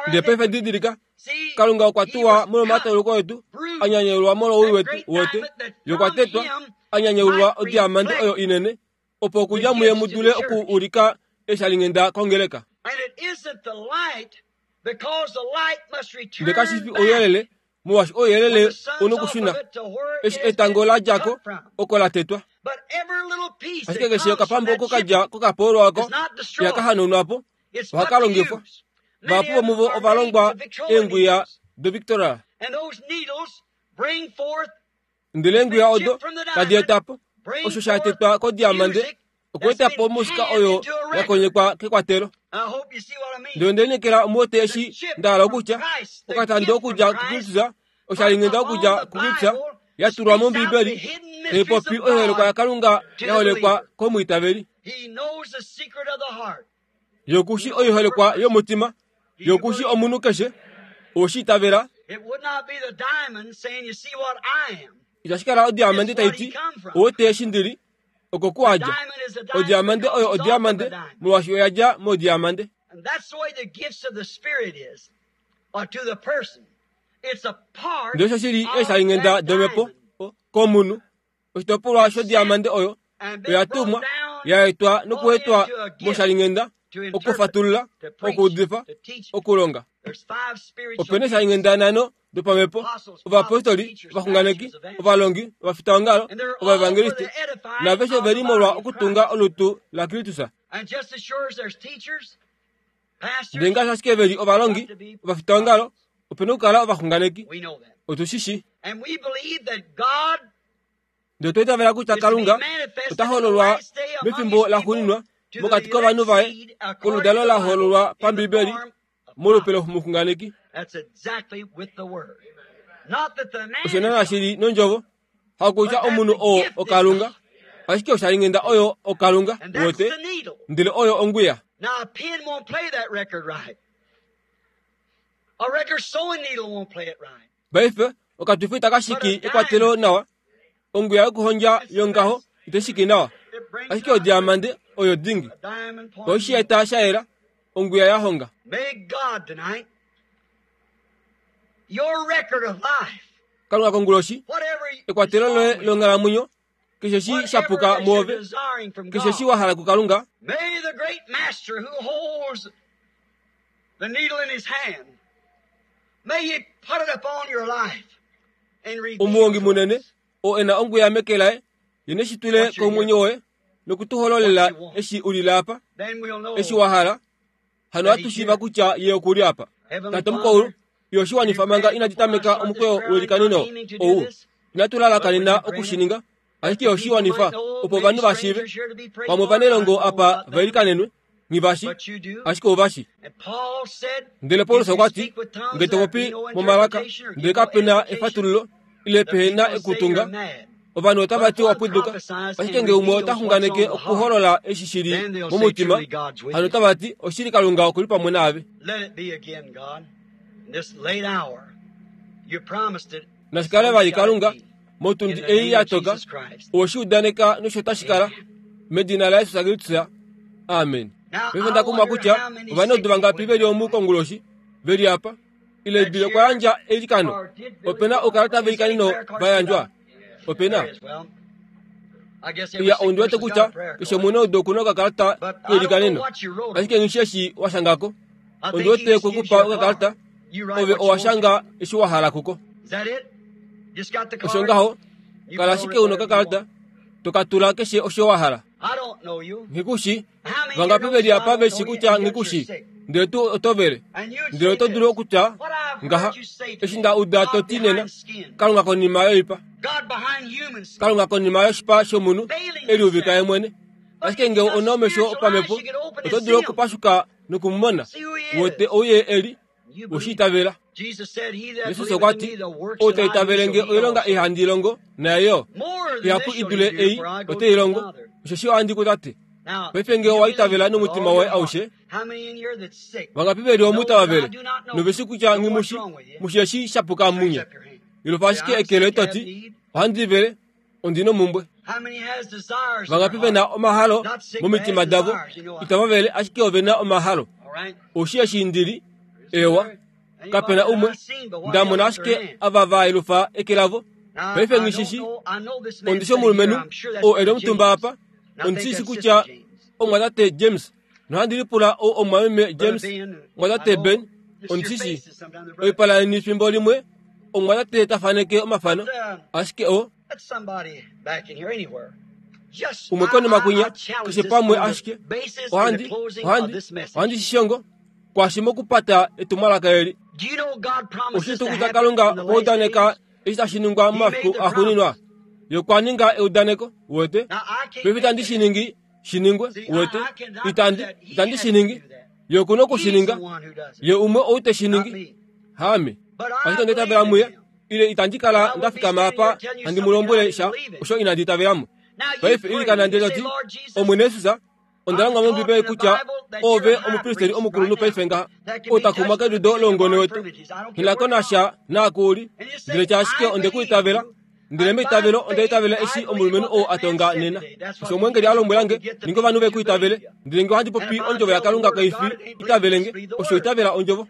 Ndele paife didilika, Kalunga okwa tuwa molwomatauluko etu, a nyanyaulwa molwowii wetu, uwete, Ye okwa tetwa, a nyanyaulwa odiamande oyo inene, opo okudja muye mu dule oku ulika eshalinghenda kongeleka. Ndele kashi fi ouyelele, molwaashi ouyelele u nokushuna eshi etango la dja ko, oko la tetwa. Ashike keshe okapambu oko ka dja kokapoolwa oko ihaka hanaunwa po, ohaka longifwa. Vahapu vomuvo ova longwa eengwiya doVictoria. Ndele eengwiya odo tadi eta po osho sha tetwa kodiamande okweeta po omusika oyo ya konyekwa kekwatelo. Ndele onde lineekela omu wete eshi nda hala okutya, okatando okudja kuKristus, oshalinghenda okudja kuKristus, ya tulwa mOmbiibeli, tai popi oiholekwa yaKalunga ya holekwa komwiitaveli. Ye oku shi oiholekwa yomutima, Ye oku shi omunhu keshe, owe shi itavela? Itashi kala odiamande tai ti, Owe eshi ndi li, oko ku a dja. Odiamande oyo odiamande molwaashi oya dja modiamande. Ndele osho shi li eeshalinghenda domhepo komunhu, oshitopolwa shodiamande oyo oya tumwa, ya etwa nokuetwa moshalinghenda, okufatulula, okuudifa, okulonga. Ope na eeshalinghenda nhano dopamhepo, ovapostoli, ovaxunganeki, ovalongi, ovafitaongalo, ovaevangeliste, naaveshe ove li molwa okutunga olutu laKristus. Ndele ngaashi ashike ve li ovalongi, ovafitaongalo, ope na okukala ovaxunganeki. Otu shi shii. Ndele otwa itavela kutya Kalunga ota hololwa mefimbo laxuuninwa mokati kovanhu vaye, koludalo la hololwa paMbiibeli molupe lomuxunganeki. Osho naana shi li nondjovo, hakutya omunhu oo oKalunga, ashike oshalinghenda oyo oKalunga, wote, ndele oyo ongwiya. Paife okatufi itaka shiki ekwatelo nawa, ongwiya yokuhondja yongaho ite shiki nawa, ashike odiamande oyo dingi. Oishi eta sha yela, ongwiya ya honga. Kalunga konguloshi, ekwatelo loye longhalamwenyo, keshe shi sha puka muove, keshe shi wa hala kuKalunga, Omuhongi munene, oo e na ongwiya meke laye, ye ne shi tule komwenyo woye noku tu hololela eshi u lile apa, eshi wa hala. Hano ohatu shiiva kutya ye oku li apa. Tate Omukaulu, yo shi wanifa manga inadi tameka omukweyo welikanino ou. Inatu lalakanena oku shi ninga, ashike yo shi wanifa opo ovanhu va shiive. Pamwe ovanelongo apa va ilikanenwe, nghi va shi, ashike ova shi. Ndele Paulus okwa ti, Nge to popi momalaka, ndele kape na efatululo, ile pehe na ekutunga, Ovanhu otava ti owa pwiduka, ashike ngee umwe ota xunganeke okuholola eshi shi li momutima, hano otava ti oshili Kalunga oku li pamwe naave. Nashi kale vali Kalunga, motundi ei ya toka, owe shi udaneka nosho tashi kala, medina laJesus Kristus. Amen. Paife nda kumwa kutya ovanaudu vangapi ve li omu konguloshi, ve li apa, ile Bill okwa yandja eilikano. Ope na oukalata veilikaneno va yandjwa? Ope na. Iya, ondi wete kutya keshe omunaudu oku na okakalata keilikaneno, ashike nghi shi eshi wa shanga ko. Ondi wete kwe ku pa okakalata, ove owa shanga eshi wa hala kuko. Osho ngaho, kala ashike u na okakalata, to ka tula keshe osho wa hala. Nghi ku shi. Vangapi ve li apa ve shi kutya nghi ku shi? Ndele tuu oto vele. Ndele oto dulu okutya ngaha, Eshi nda uda to ti nena, Kalunga konima yoipa, Kalunga konima yoshipa shomunhu e liuvika ye mwene. Ashike ngee ou na omesho opamhepo, oto dulu okupashuka noku mu mona, wete ou ye e li. We shi itavela. Jesus okwa ti, Ou ta itavele nge oilonga ei handi longo, naye yo ihapu i dule ei ote i longo, osheshi ohandi ku Tate. Paife nge owa itavela nomutima woye aushe, vangapi ve li omu tava vele, nove shi kutya nghi mu shi, mu shi eshi sha puka munye? Ilofa ashike eke loye to ti, Ohandi vele, ondi nomumbwe. Vangapi ve na omahalo momitima davo, itava vele ashike ove na omahalo. Oshi eshi ndi li, ewa, kape na umwe, nda mona ashike ava va yelufa eke lavo. Paife nghi shi shi, ondi shi omulumenhu oo e li omutumba apa, ondi shi shi kutya omumwatate James, nohandi lipula ou omumwameme James, omumwatate Ben, ondi shi shi. Oipala yeni fimbo limwe omumwatate ta faneke omafano, ashike o. Umwe konima kwinya, keshe pamwe ashike ohandi, ohandi, ohandi shi shongo kwashi mokupata etumwalaka eli. Oshi tuu kutya Kalunga okwa udaneka eshi tashi ningwa momafiku axuuninwa? Ye okwa ninga eudaneko, uwete. Paife itandi shi ningi shi ningwe, uwete. Itandi, itandi shi ningi. Ye oku na oku shi ninga. Ye umwe ou te shi ningi, haame. Ashike onda itavela muye, ile itandi kala nda fikama apa handi mu lombwele sha osho inandi itavela mo. Paife ilikana ndele to ti, Omwene Jesus, onda longwa mOmbibeli kutya oove omupristeli omukulunhu paife ngaha, ou ta kumwa kedudo loungone wetu. Nghi na ko nasha naaku u li, ndele tya ashike onde ku itavela. Ndele meitavelo onda itavela eshi omulumenhu ou a tonga nena. Osho omweengeli a lombwela nge, ninga ovanhu ve ku itavele. Ndele nge ohandi popi ondjovo yaKalunga kai fi itavele nge, osho itavela ondjovo.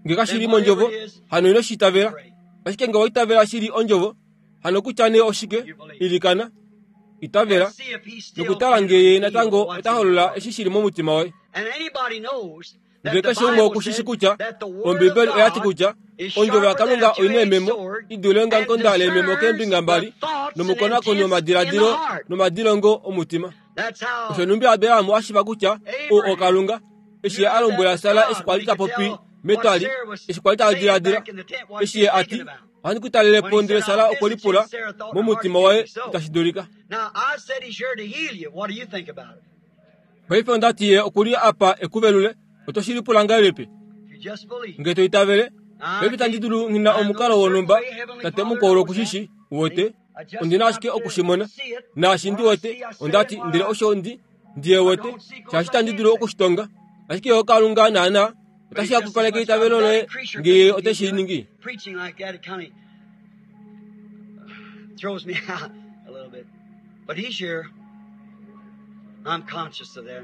Nge kashi li mondjovo, hano ino shi itavela. Ashike nge owa itavela shili ondjovo, hano kutya nee oshike, ilikana, itavela, nokutala nge ye natango ota holola eshi shi li momutima woye. Ndele keshe umwe oku shi shi kutya Ombibeli oya ti kutya ondjovo yaKalunga oi na eememo i dule ongamukonda leememo keembinga mbali nomukonakoni womadiladilo nomadilongo omutima. Osho nhumbi Abraham a shiva kutya ou oKalunga, eshi ye a lombwela Sara eshi kwa li ta popi metwali, eshi kwa li ta diladila, eshi ye a ti, Ohandi ku talele po, ndele Sara okwe lipula momutima waye itashi dulika. Paife onda ti ye oku li apa e ku velule. Oto shi lipula ngahelipi? Nge to itavele, paife itandi dulu nghi na omukalo wonhumba, Tate mukwaulu oku shi shi, uwete. Ondi na ashike oku shi mona. Naashi ndi wete, onda ti, ndele osho ndi, ndi ye wete, shaashi itandi dulu oku shi tonga. Ashike yo Kalunga naana otashi hapupaleke eitavelo loye nge ye ote shi ningi. Throws me out a little bit. But he's here. I'm conscious of that.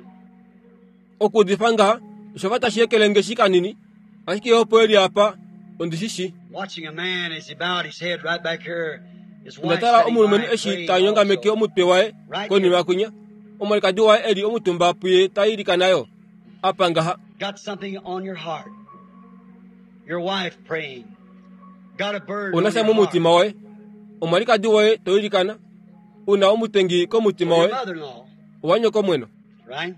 Okuudifa ngaha osha fa tashi ekele nge shi kanini, ashike ye opo e li apa, ondi shi shi. Watching a man as he bowed his head right back here, his Onda wife tala sitting by omulumenhu him eshi praying ta nyongameke also. omutwe waye konima kwinya, omwalikadi waye e li omutumba puye ta ilikana yo. Apa ngaha. Got something on your heart. Your wife praying. Got a burden Una on sha your heart. momutima woye, omwalikadi woye to ilikana, u na omutengi komutima Your woye, mother-in-law, owa nyokomweno. right?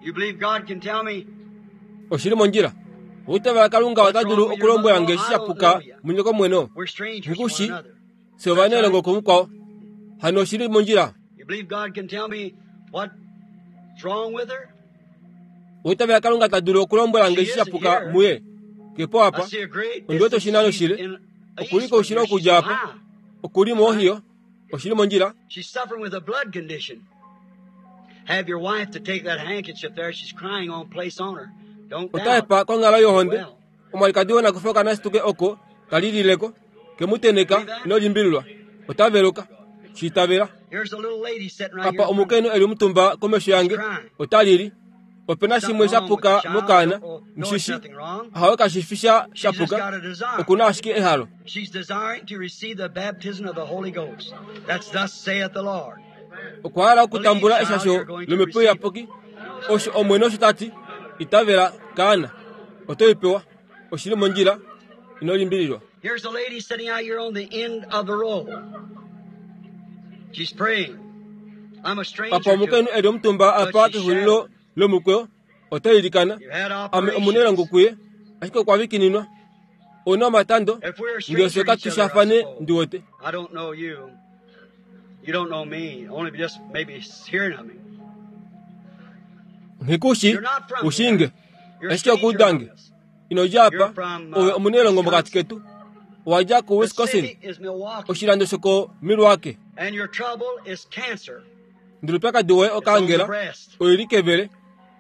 You believe God can tell me Oshi li mondjila. Oitavela Kalunga ota dulu okulombwela nge eshi sha puka munyokomweno. we're strangers to one Ngikushi. another. Fye ovanailongo kumukwao. Hano oshi li mondjila. You believe God can tell me what's wrong with her? Oitavela Kalunga ta dulu okulombwela nge eshi sha puka muye. Ke po apa. Ondi wete oshinano shile. Okuli koushilo okudja apa. Okuli moOhio. Oshili mondjila. She's suffering with a blood condition. Have your wife to take that handkerchief there. She's crying on place on her. Don't Ota doubt. hepa konghalo yohonde. Omwalikadi wonakufa okanasituke oko kalilileko. Kemuteneka ino limbililwa. Ota veluka. Shiitavela. Here's a little lady sitting right Apa here. in front of me. omukainhu eli omutumba komesho yange. Ota lili. Opena shimwe sha puka mokaana. No, it's Mshishi. nothing wrong. Hawe kashifi sha She's just shapuka. got a desire. Okuna ashike ehalo. She's desiring to receive the baptism of the Holy Ghost. That's thus saith the Lord. Okwa hala okutambula eshasho lomhepo iyapuki. Osho Omwene osho ta ti, itavela kaana. Oto i pewa. Oshili mondjila. Ino limbililwa. Here's a lady sitting out here on the end of the row. She's praying. I'm a stranger Apa to omukainhu her. eli omutumba apa kexulilo lomukweyo. Ota ilikana. You've had Ame omunelongo operations. kuye. Ashike okwa vikininwa. Ouna omatando. If we're a Ngee stranger fye to each other, I katushafane suppose. ndi wete. I don't know you. You don't know me. Only just maybe hearing of me. Nghikushi You're not from ushinge. here. You're a Ashike stranger among okuudange. us. Inodja You're apa. from Ove omunelongo mokati Wisconsin. ketu. Owadja ku The Wisconsin. city is Milwaukee. Oshilando shoko Milwaukee. And your trouble is cancer. Ndele oupyakadi woye It's on the okaangela. breast. Oili kevele.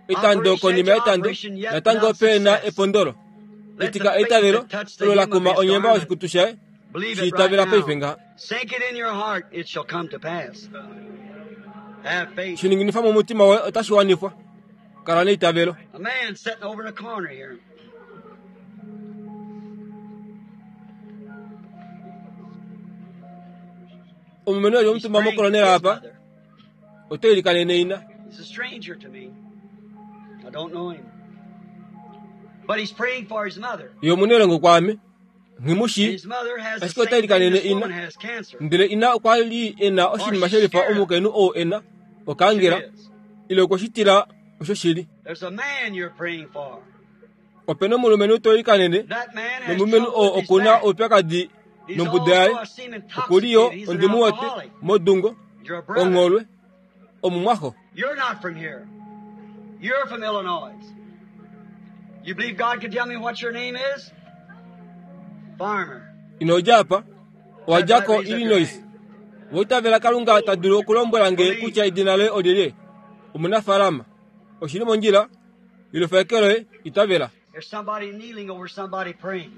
Etando Operation konima after yetando. operation, yet Natango without pe na success. epondolo. Let the Etika faith eitavelo that touched the olo hem la of kuma his onyemba garment oshikutu shaye. believe it right Shiitavela paife now. ngaha. Sink it in your heart, it shall come to pass. Have faith. Shininginifa momutima woye otashi wanifwa. Kala neitavelo. A man sitting over in the corner here. Omumeno eli He's omutumba praying for mokolonela his apa. mother. Oto ilikanene ina. He's a stranger to me. I don't know him. But he's praying for his mother. Ye omunelongo kwaame. And Nghimushi. his mother has the Ashike same ota thing ilikanene this ina. woman has cancer. Ndele ina okwa li ena Or oshinima she's shelifa scared of it. omukainhu oo ena She okaangela is. ile okweshitila osho shili. There's a man you're praying for. Opena omulumenhu to ilikanene That man has nomulumenhu trouble oo with his okuna back. oupyakadi He's nombuda yaye. also, I see him Okuli yo intoxicated. He's an ondimu wote alcoholic. modungo You're a brother. ongholwe omumwaxo. You're not from here. You're from Illinois. You believe God can tell me what your name is? Farmer. Inodja apa That's owadja right. ko Raise up your Illinois. hand. Woitavela Kalunga ta dulu okulombwela nge Believe. kutya edina loye olyelye. Omunafaalama. Oshili mondjila. Ilofa eke loye itavela. There's somebody kneeling over somebody praying.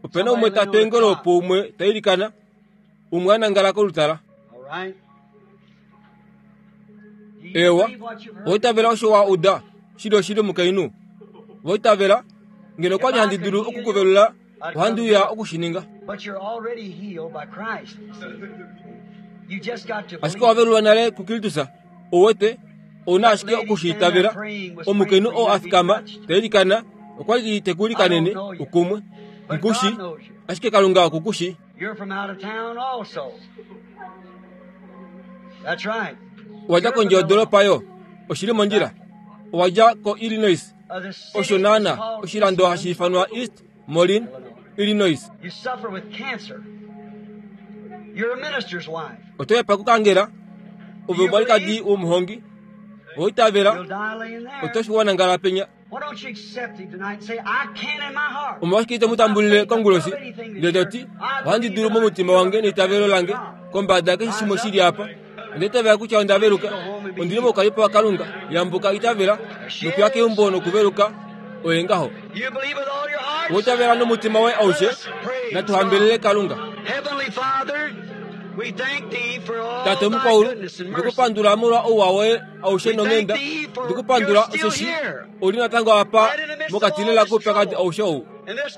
Opena Somebody umwe ta laying on the twengele cot. opo umwe ta ilikana. Umwe a nangala kolutala. All right? Do you Ewa, believe what you've heard? woitavela osho wa uda. Shili oshili omukainhu. Woitavela ngeno If kwali I handi could dulu heal you, okukuvelula I'd come ohandi do uya it. okushininga. But you're already healed by Christ. See? You just got to Ashike believe. wavelulwa nale kuKristus. Owete ouna That ashike lady standing there okushiitavela. praying was praying Omukainhu for oo you to a be fikama touched. ta ilikana okwali I don't tekulikanene know you, ukumwe. but Nkushi God knows you. ashike Kalunga okukushi. You're from out of town also. That's right. Owadja You're from kondje Illinois. yodoropa yo. Oshili mondjila. Exactly. Owadja ko Illinois. The Osho city is naana called East oshilando hashi Moline, ifanwa East Moline, Illinois. Illinois. You suffer with cancer. You're a minister's wife. Oto hepa kukangela Do ove you omwalikadi believe? womuhongi. Woitavela You'll die laying oto there. shiwana ngala penya. Why don't you accept him tonight and say, I can in my heart. Omolwashike ito With my mutambulile faith kongulosi above anything that's ndele here, toti I ohandi believe dulu that I'm momutima healed wange of the neitavelo presence of lange God. kombada keshe Rise shimwe up. shili apa. Ondeitavela kutya onda Please veluka. go home and be Ondili healed. moukalipo waKalunga. Yambuka itavela There she nokuya is. keumbo nokuveluka oye ngaho. You believe with all your heart? Woitavela nomutima woye Let aushe us praise natuhambelele God. Kalunga. Heavenly Father, we thank thee for all Tate thy omukwaulu goodness and mercy. ndikupandula molwa ouwa woye aushe We thank nonghenda. thee for you're Ndikupandula still osheshi here, oli natango apa right in the midst of mokati all lela this koupyakadi trouble aushe ou. and this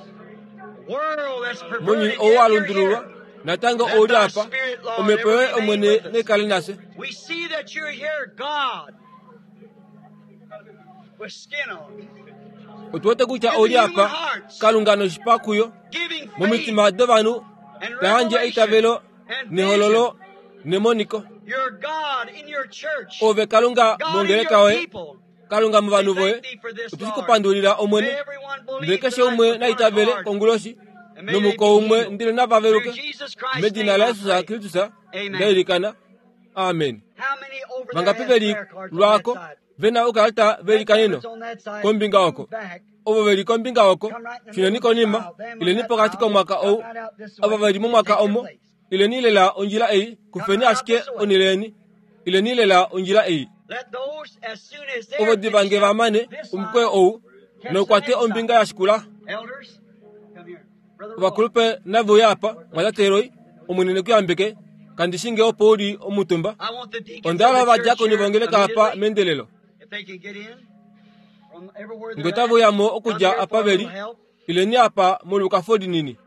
world that's Mounyuni perverted, ou yet wa you're lundululwa here. natango Let ouli thy apa. Spirit, Lord, Omhepo ever yoye remain Omwene with us. nekale nafye. We see that you're here, God, with skin on, Otu wete kutya in the ouli human apa hearts, Kalunga noshipa kuyo giving faith momitima dovanhu and ta yandje revelation eitavelo and nehololo vision. nemoniko. You're God in your church, Ove Kalunga God in mongeleka your woye people. Kalunga We movanhu voye thank thee for this, otu Lord. kupandulila Omwene. May everyone Ndele believe keshe tonight umwe with one naitavele accord, konguloshi and may they nomuko be umwe healed. ndele nava Through veluke. Jesus Christ's Medina name la I Yesus pray. Kristus Amen. ndailikana. Amen. How many over there Vangapi has veli prayer cards on that lwako side? vena ukalata That velikaneno that's on that side, kombinga move oko back. Ovo ve li kombinga oko, shuneni konima, ileni pokati komwaka ou. Ava ve li momwaka omo, ileni lela ondjila ei, kufeni ashike onhele yeni. Ileni lela ondjila ei. Ovo diva nge va mane omukweyo ou, nokwate ombinga ya shikula. Ovakulupe nave uye apa, mwatate Roy, Omwene ne ku yambeke. Kandi shi nge opo u li omutumba. Onda hala ovadiakoni vongeleka apa meendelelo. Nge otave uya mo okudja apa ve li, ileni apa molwekafo linini.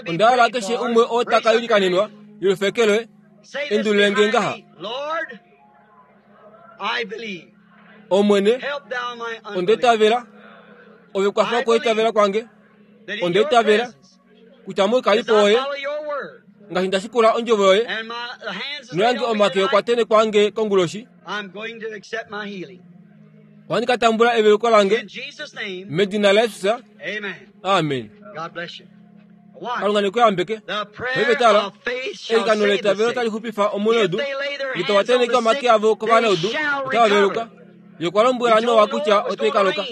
Onda hala keshe umwe oo ta ka ilikanenwa yolufekelwe, endulule nge ngaha. Omwene, onda itavela, Ove kwafa okwiitavela kwange. Onda itavela kutya moukalipo woye, ngaashi nda shikula ondjovo yoye, noyange omake okwatene kwange konguloshi, ohandi ka tambula eveluko lange medina laJesus. Amen. Kalunga ne ku yambeke. Paife tala, eilikano leitavelo tali xupifa omunaudu. Nge tava tenheke omake avo kovanaudu, otava veluka. Ye okwa lombwela Noa kutya otai ka loka.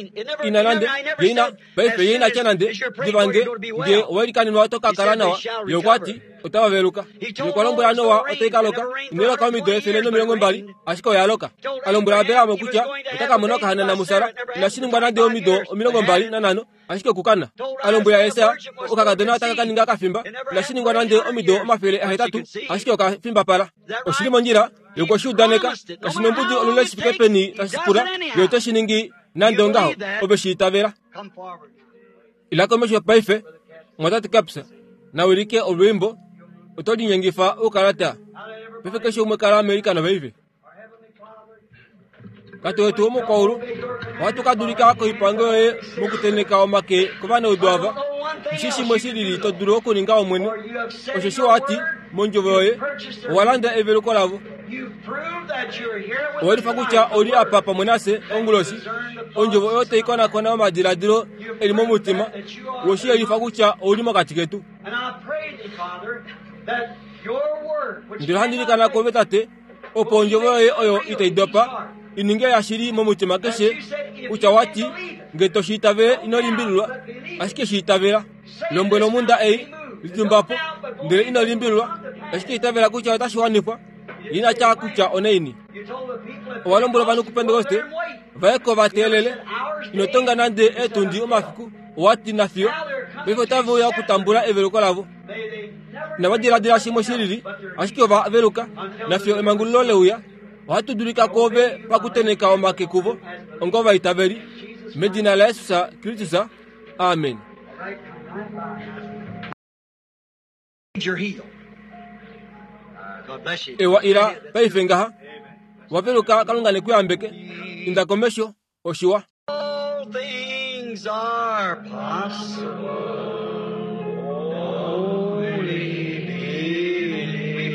Ina nande, ye ina, paife ye ina tya nande, Diva nge, nge owa ilikanenwa oto ka kala nawa. Ye okwa ti, Otava veluka. Ye okwa lombwela Noa otai ka loka. Inai loka omido 120, ashike oya loka. A lombwela Abraham kutya ota ka mona okahanana muSara. Inashi ningwa nande omido 25, ashike okukana. A lombwela Esaya, okakadona otaka ka ninga kafimba. Inashi ningwa nande omido 800, ashike oka fimbapala. Oshi li mondjila yokwe shi udaneka. Kashi nombudi olule shi fike peni tashi pula, ye ote shi ningi nande ongaho. Ove shi itavela. Ila komesho paife, Mwatate Capps, na wilike olwiimbo. Oto linyengifa oukalata. Paife keshe umwe kala meilikano paife. Tate wetu womokwaulu, ohatu ka dulika koipango yoye mokutenheka omake kovanaudu ava. Ndishi shimwe shi lili to dulu okuninga Omwene, osheshi wa ti mondjovo yoye, owa landa eveluko lavo. Owe lifa kutya ou li apa pamwe nafye onguloshi, ondjovo oyo tai konakona omadiladilo e li momutima, we shi yelifa kutya ou li mokati ketu. Ndele ohandi ilikana kwoove Tate, opo ondjovo yoye oyo itai dopa i ninge yashili momutima keshe, kutya wa ti, Nge to shi itavele ino limbililwa, ashike shi itavela. Lombwela omhunda ei, Litumba po, ndele ino limbililwa, ashike itavela kutya otashi wanifwa. Ye ina tya kutya onaini. Owa lombwela ovanhu kuPentekoste va ye ko va teelele. Ino tonga nande eetundi omafiku, owa ti nafiyo paife otave uya okutambula eveluko lavo. Inava diladila shimwe shi lili, ashike ova veluka, nafiyo emangululo le uya. Ohatu dulika kwoove pakutenheka omake kuvo onga ovaitaveli. Medina laJesus Kristus. Amen. Ewa ila paife ngaha. Wa veluka Kalunga ne ku yambeke. Inda komesho, oshiwa. All things are possible. Only believe.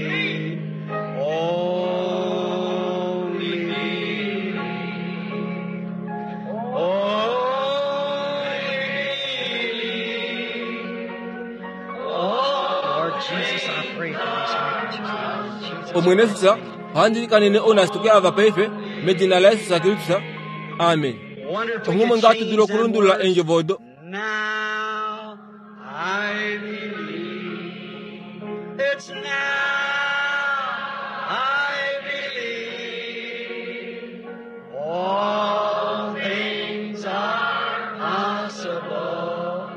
Only believe. Only believe. Oh, Lord Jesus, I pray for these handkerchiefs now. In Jesus' Omwene Jesus, ohandi ilikanene ounashituke ava paife, medina laJesus Kristus. Amen. Wonder if we Onghumwe could ngaa tu dulu change them okulundulula words. eendjovo odo. Now I believe. It's now I believe. All things are possible.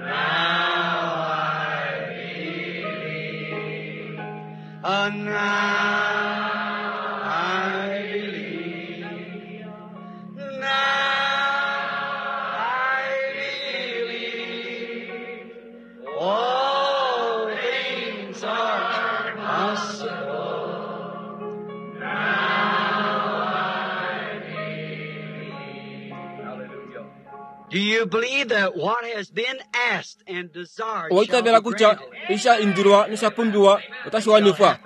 Now I believe. Now I believe. Now I believe. All things are possible. Now I believe. Hallelujah. Do you believe that what has been asked and desired Owa shall be itavela kutya granted? eshi sha indilwa nosha pumbiwa otashi wanifwa,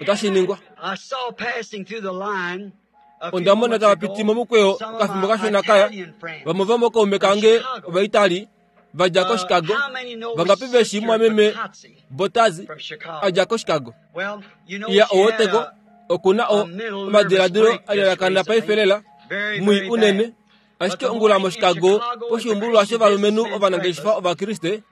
otashi ningwa. I saw passing through the line a few Onda mona moments tava piti ago momukweyo some of okafimbo my kashona kaya, Italian friends vamwe vomokaume from kange Chicago. Ovaitali va dja koChicago, How many know vangapi ve shii Sister mwameme Bottazzi Bottazzi from Chicago? a dja koChicago? Well, you know Iya she had owoteko a, oku na a mental nervous omadiladilo break a just lalakana recently. paife lela, Very, mwii very unene, bad. Ashike ongula moChicago poshiumbululwa shovalumenhu ovanangeshefa Ovakriste,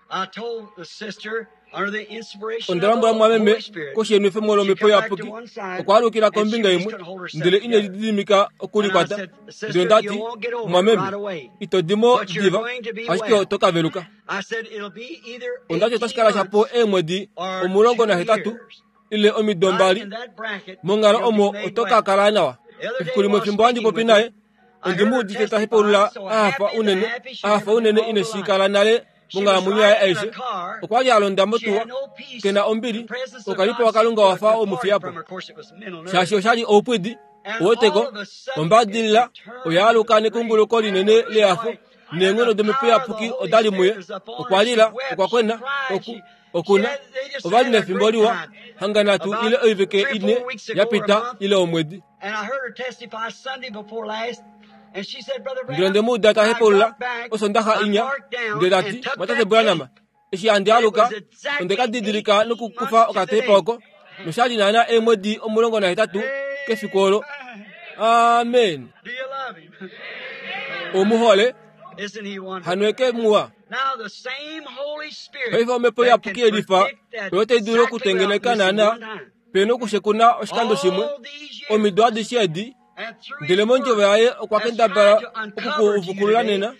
onda lombwela mumwameme koshienwefemo lomhepo iyapuki okwa alukila kombinga imwe ndele ine lididimika okulikwata. Ndele onda ti, Mumwameme, ito di mo diva, ashike oto ka veluka. Onda ti otashi kala shapo eemwedi 18 ile omido mbali monghalo omo oto ka kala nawa. Efiku limwe fimbo handi popi naye, ondi mu udite ta hepaulula a hafa unene, a hafa unene ine shi kala nale monghalamwenyo yaye aishe. Okwa li a londa motuwa, ke na ombili, okalipo waKalunga wa fa omufiya po. Shaashi osha li oupwidi, uweteko, ombadilila oya aluka nekunguluko linene lehafo, neenghono domhepo iyapuki oda li muye. Okwa lila, okwa kwena, oku, okuna. Ova li nefimbo liwa, hanga nhatu ile oivike ine ya pita ile omwedi. Ndele onde mu uda ta hepaulula Osondaxa inya, ndele ta ti, Mwatate Branham, eshi handi aluka, onde ka didilika nokukufa okatepa oko, nosha li naana eemwedi 18 kefiku olo. Amen. Omu hole? Hano eke muwa. Paife Omhepo Iyapuki yelifa oyo tai dulu okutengeneka naana pe nokushekuna oshikando shimwe omido adishe edi, ndele mondjovo yaye okwa kendabala okukuvukulula nena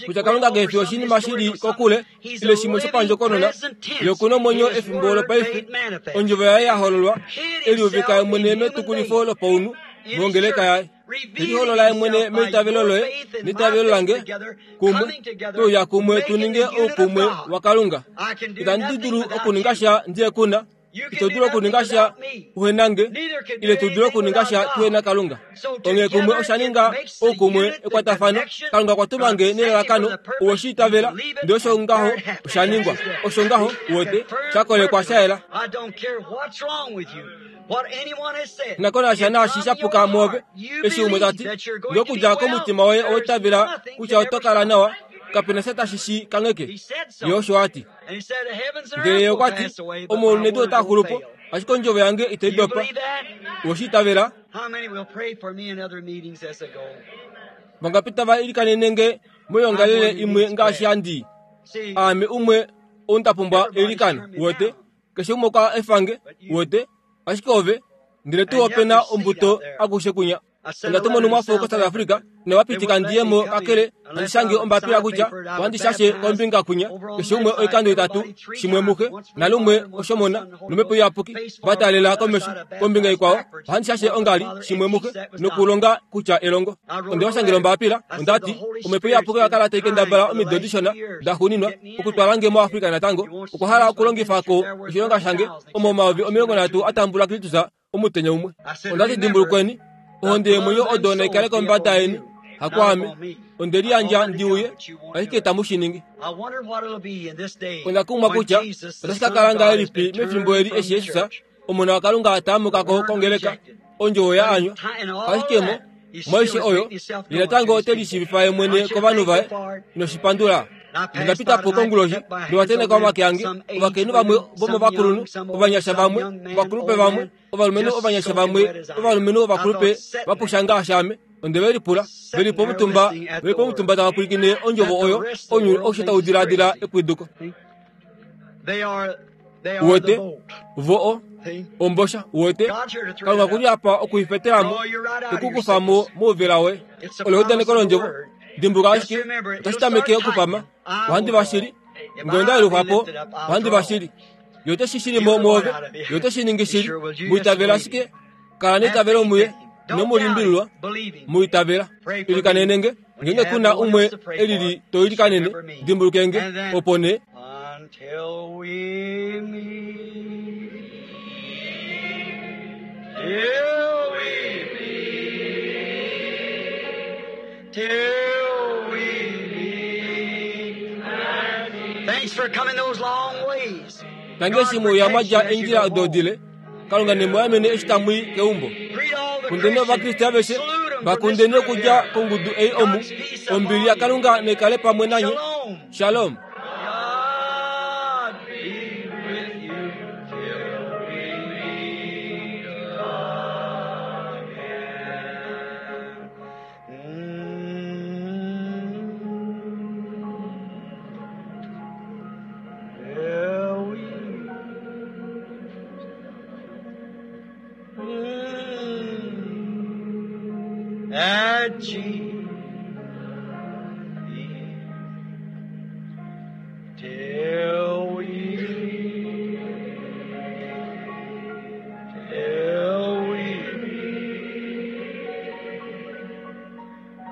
kutya Kalunga ke fi oshinima shi li kokule ile shimwe shopandjokonona, ye oku na omwenyo efimbo lopaife, ondjovo yaye ya hololwa, e liuvika ye mwene metukulifo lopaunhu mongeleka yaye. Liholola ye mwene meitavelo loye neitavelo lange kumwe, tuuya kumwe tu ninge oukumwe waKalunga. Itandi dulu okuninga sha ndiye kuna, ito dulu okuninga sha uhe nange, ile tu dulu okuninga sha tuhe na Kalunga. Onghee kumwe osha ninga oukumwe ekwatafano. Kalunga okwa tuma nge nelalakano, owe shi itavela, ndele osho ngaho osha ningwa. Osho ngaho, uwete, sha kolekwa sha yela. Nakonasha naashi sha puka mwoove, eshi umwe ta ti, Nge okudja komutima woye owa itavela kutya oto kala nawa, kape na sha tashi shi kangheke. Ye osho a ti. Ndele ye okwa ti, Omaulu nedu otaa xulu po, ashike ondjovo yange itai dopa. Owe shi itavela? Vangapi tava ilikanene nge moyoongalele imwe ngaashi handi? Aame umwe ou nda pumbwa eilikano, uwete. Keshe umwe okwa efa nge, uwete, ashike ove, ndele tuu ope na ombuto akushe kunya. Onda tuma onhumwafo koSouth Africa, inava pitika ndi ye mo kakele handi shange ombapila kutya ohandi shashe kombinga kunya. Keshe umwe oikando itatu, shimwe muxe, nalumwe oshomona, nomhepo iyapuki, va taalela komesho. Kombinga ikwao, ohandi shashe ongali, shimwe muxe, nokulonga kutya elongo. Onde va shangela ombapila, onda ti, Omhepo iyapuki oya kala tai kendabala omido dishona daxuuninwa okutwala nge moAfrica natango. Okwa hala okulongifa ko oshilonga shange omo 30,000 a tambula Kristus omutenya umwe. Onda ti dimbulukweni, ohonde yeemwenyo odo nai kale kombada yeni, hakwaame. Onde liyandja ndi uye, ashike itamu shi ningi. Onda kumwa kutya otashi ka kala ngahelipi mefimbo eli eshi Jesus, Omona waKalunga a taamuka ko kongeleka, ondjovo ya anywa. Ashike mo, moishe oyo, ye natango ote lishiivifa ye mwene kovanhu vaye. Ino shi pandula? Nonda pita po konguloshi, nowa tenheka omake ange, ovakainhu vamwe vomovakulunhu, ovanyasha vamwe, ovakulupe vamwe, ovalumenhu ovanyasha vamwe, ovalumenhu ovakulupe va pusha ngaashi ame. Onde ve lipula, ve li pomutumba, ve li pomutumba tava pwilikine ondjovo oyo, ounyuni aushe tau diladila epwiduko. Uwete? Vo o, ombosha, uwete? Kalunga ku li apa oku i fetela mo, te ku kufa mo mouvela woye. Olo eudaneko londjovo. Dimbuluka ashike, otashi tameke okupama. Ohandi va shili. Nge onda yelufwa po, ohandi va shili. Ye ote shi shili mo mwoove. Ye ote shi ningi shili. Mu itavela ashike. Kala neitavelo muye. Ino mu limbililwa. Mu itavela. Ilikanene nge. Ngeenge ku na umwe e lili to ilikanene, dimbuluke nge. Opo nee. Until we meet. Till we meet. Till we meet. Thanks for coming those long ways. Tangi eshi mwe uya mwa dja eendjila odo dile, Kalunga ne mu amene eshi tamu i keumbo. Kundeni Ovakriste aveshe, va kundeni okudja kongudu ei omu. Ombili yaKalunga nai kale pamwe nanye. Shalom. God be with you till we meet again. At Jesus. Till we, till we meet.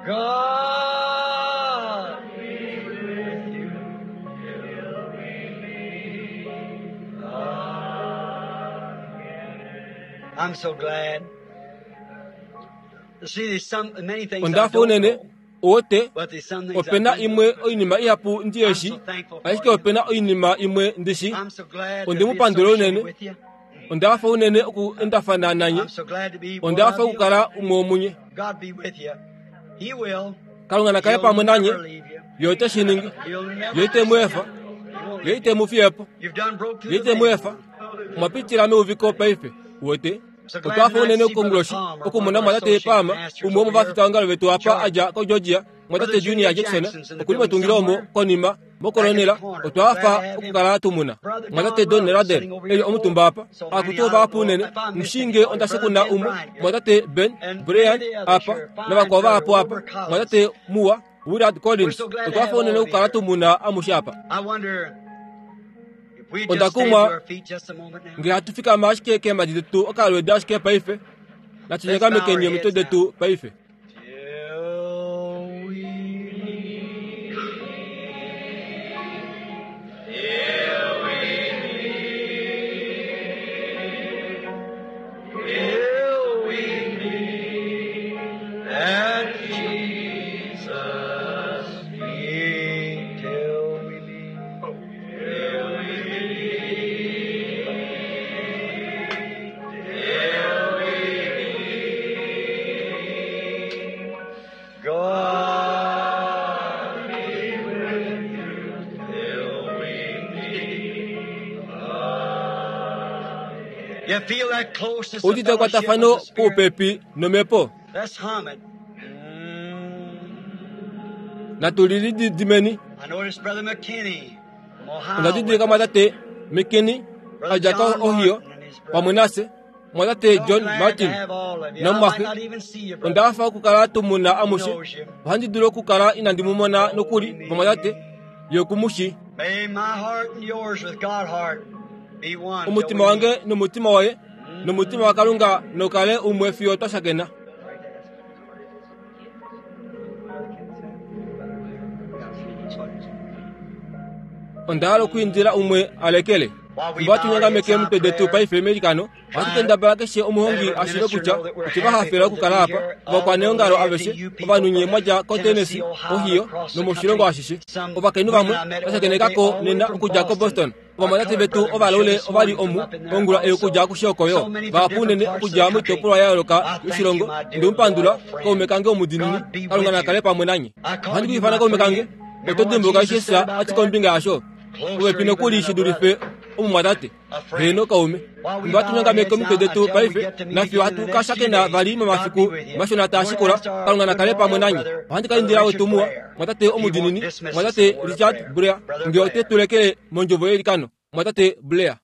God be with you till we meet again. I'm so glad. See, there's some many things I Ondafa don't unene know, uwote but there's some things I opena do imwe know. oinima ihapu ndi I'm yeshi so thankful for ashike you. opena oinima imwe ndishi I'm so glad to Ondi be mupandula associated unene. with you. Ondafa unene oku endafana nanye I'm so glad to be one ondafa of you. okukala umwe womunye God be with you. He will. Kalunga nakale He'll pamwe nanye never leave you. ye ote shi ningi He'll never ye ite mu efa He won't ye leave ite mu fiyepo you. You've done broke through ye the ite mu veil. efa mwapitila meuviko paife uwete So glad otwafa tonight unene to see Brother okonguloshi Palmer, one of okumona our mwatate associate Palmer pastors umwe over womuvafita here wangalo vetu in apa Georgia. adja ko Georgia mwatate Brother Junior Junior Jackson Jackson's in the okuli building mwatungile omo somewhere. konima Back at the mokolonela corner. Glad to otwafa have him. okukala tumuna Brother mwatate Don Don Rudd Radel sitting over eli here. omutumba apa So many akutu I don't vahapu know unene if I missed mushinge anybody. Brother ondasekuna Ben umwe Bryant here. mwatate Ben And many Brian of the others apa here. Fine navakwao brother vahapu apa Wilbur Collins. mwatate Muwa Willard We're Collins so glad to have otwafa all unene of you okukala here. tumuna amushe apa I wonder if we just stand to Ondakumwa our feet just a moment now. ngele hatu fikama ashike keemadi detu okalwedo ashike paife Let's bow our natunyeka omitwe heads now. detu paife Till we meet. Till we meet. Till we meet at Jesus' feet. Till we meet. Till we meet. Till we meet. God be with you till we meet again. You feel that closeness of udite fellowship with ekwatafano the Spirit? puupepi nomhepo Let's hum it. Natulilididimeni I noticed Brother McKinney from Ohio ondadidilika with us. mwatate McKinney Brother adja ko John Ohio Martin and his pamwe brother. nase mwatate So John glad to Martin have all of you. I might namwafe not even see you, brother. ondafa okukala tumuna He amushe knows you. ohandi dulu okukala inandi mumona nokuli vamwatate yokumushi May my heart and yours with God heart be one till omutima we wange meet. nomutima waye nomutima wa Kalunga nokale umwe fiyo twashakena Ondahala okwiindila umwe alekele While we Fimbo bow our heads hatu nyongameke in omitwe detu prayer, paife meilikano ohatu try kendabala keshe omuhongi let every ashiive minister kutya know that we're otwe happy vahafela to be okukala apa here. All the ovakwaneongalo aveshe AFDU people ovanhu nye from mwadja ko Tennessee, Tennessee, Ohio, Ohio across the nomoshilongo country. ashishe Some ovakainhu women vamwe I met over there vashakenekako all the way nena from okudja ko Boston. Boston Our ovamwatate colored vetu brother was here ovalaule this ovali morning from omu up in there ongula ei okudja also. kushioko yo So many from vahapu different unene parts of okudja the country. moitopolwa ya yooloka I thank you, yoshilongo my dear ndimupandula loyal friend. kaume kange omudinini God be Kalunga with nakale you. pamwe nanye I call ohandi you ku ifana my kaume kange friend. oto Remember what dimbuluka Jesus Jesus said about ati that? kombinga yasho Closer popepi even nokuli than a shi dulife brother. omumwatate A friend. heno kaume While we Fimbo bow hatu our nyongameke heads omitwe now detu until we paife get to meet nafiyo again in hatu the next few kashakena days, vali God be momafiku with you. mashona We're going to taashikola ask our Kalunga good nakale pamwe loyal nanye brother, ohandi Brother kalindila Richard wetu muwa Blair, mwatate if he won't omudinini dismiss us in mwatate a word of Richard prayer. Blair Brother nge ote Blair. tulekele mondjovo yelikano mwatate Blair.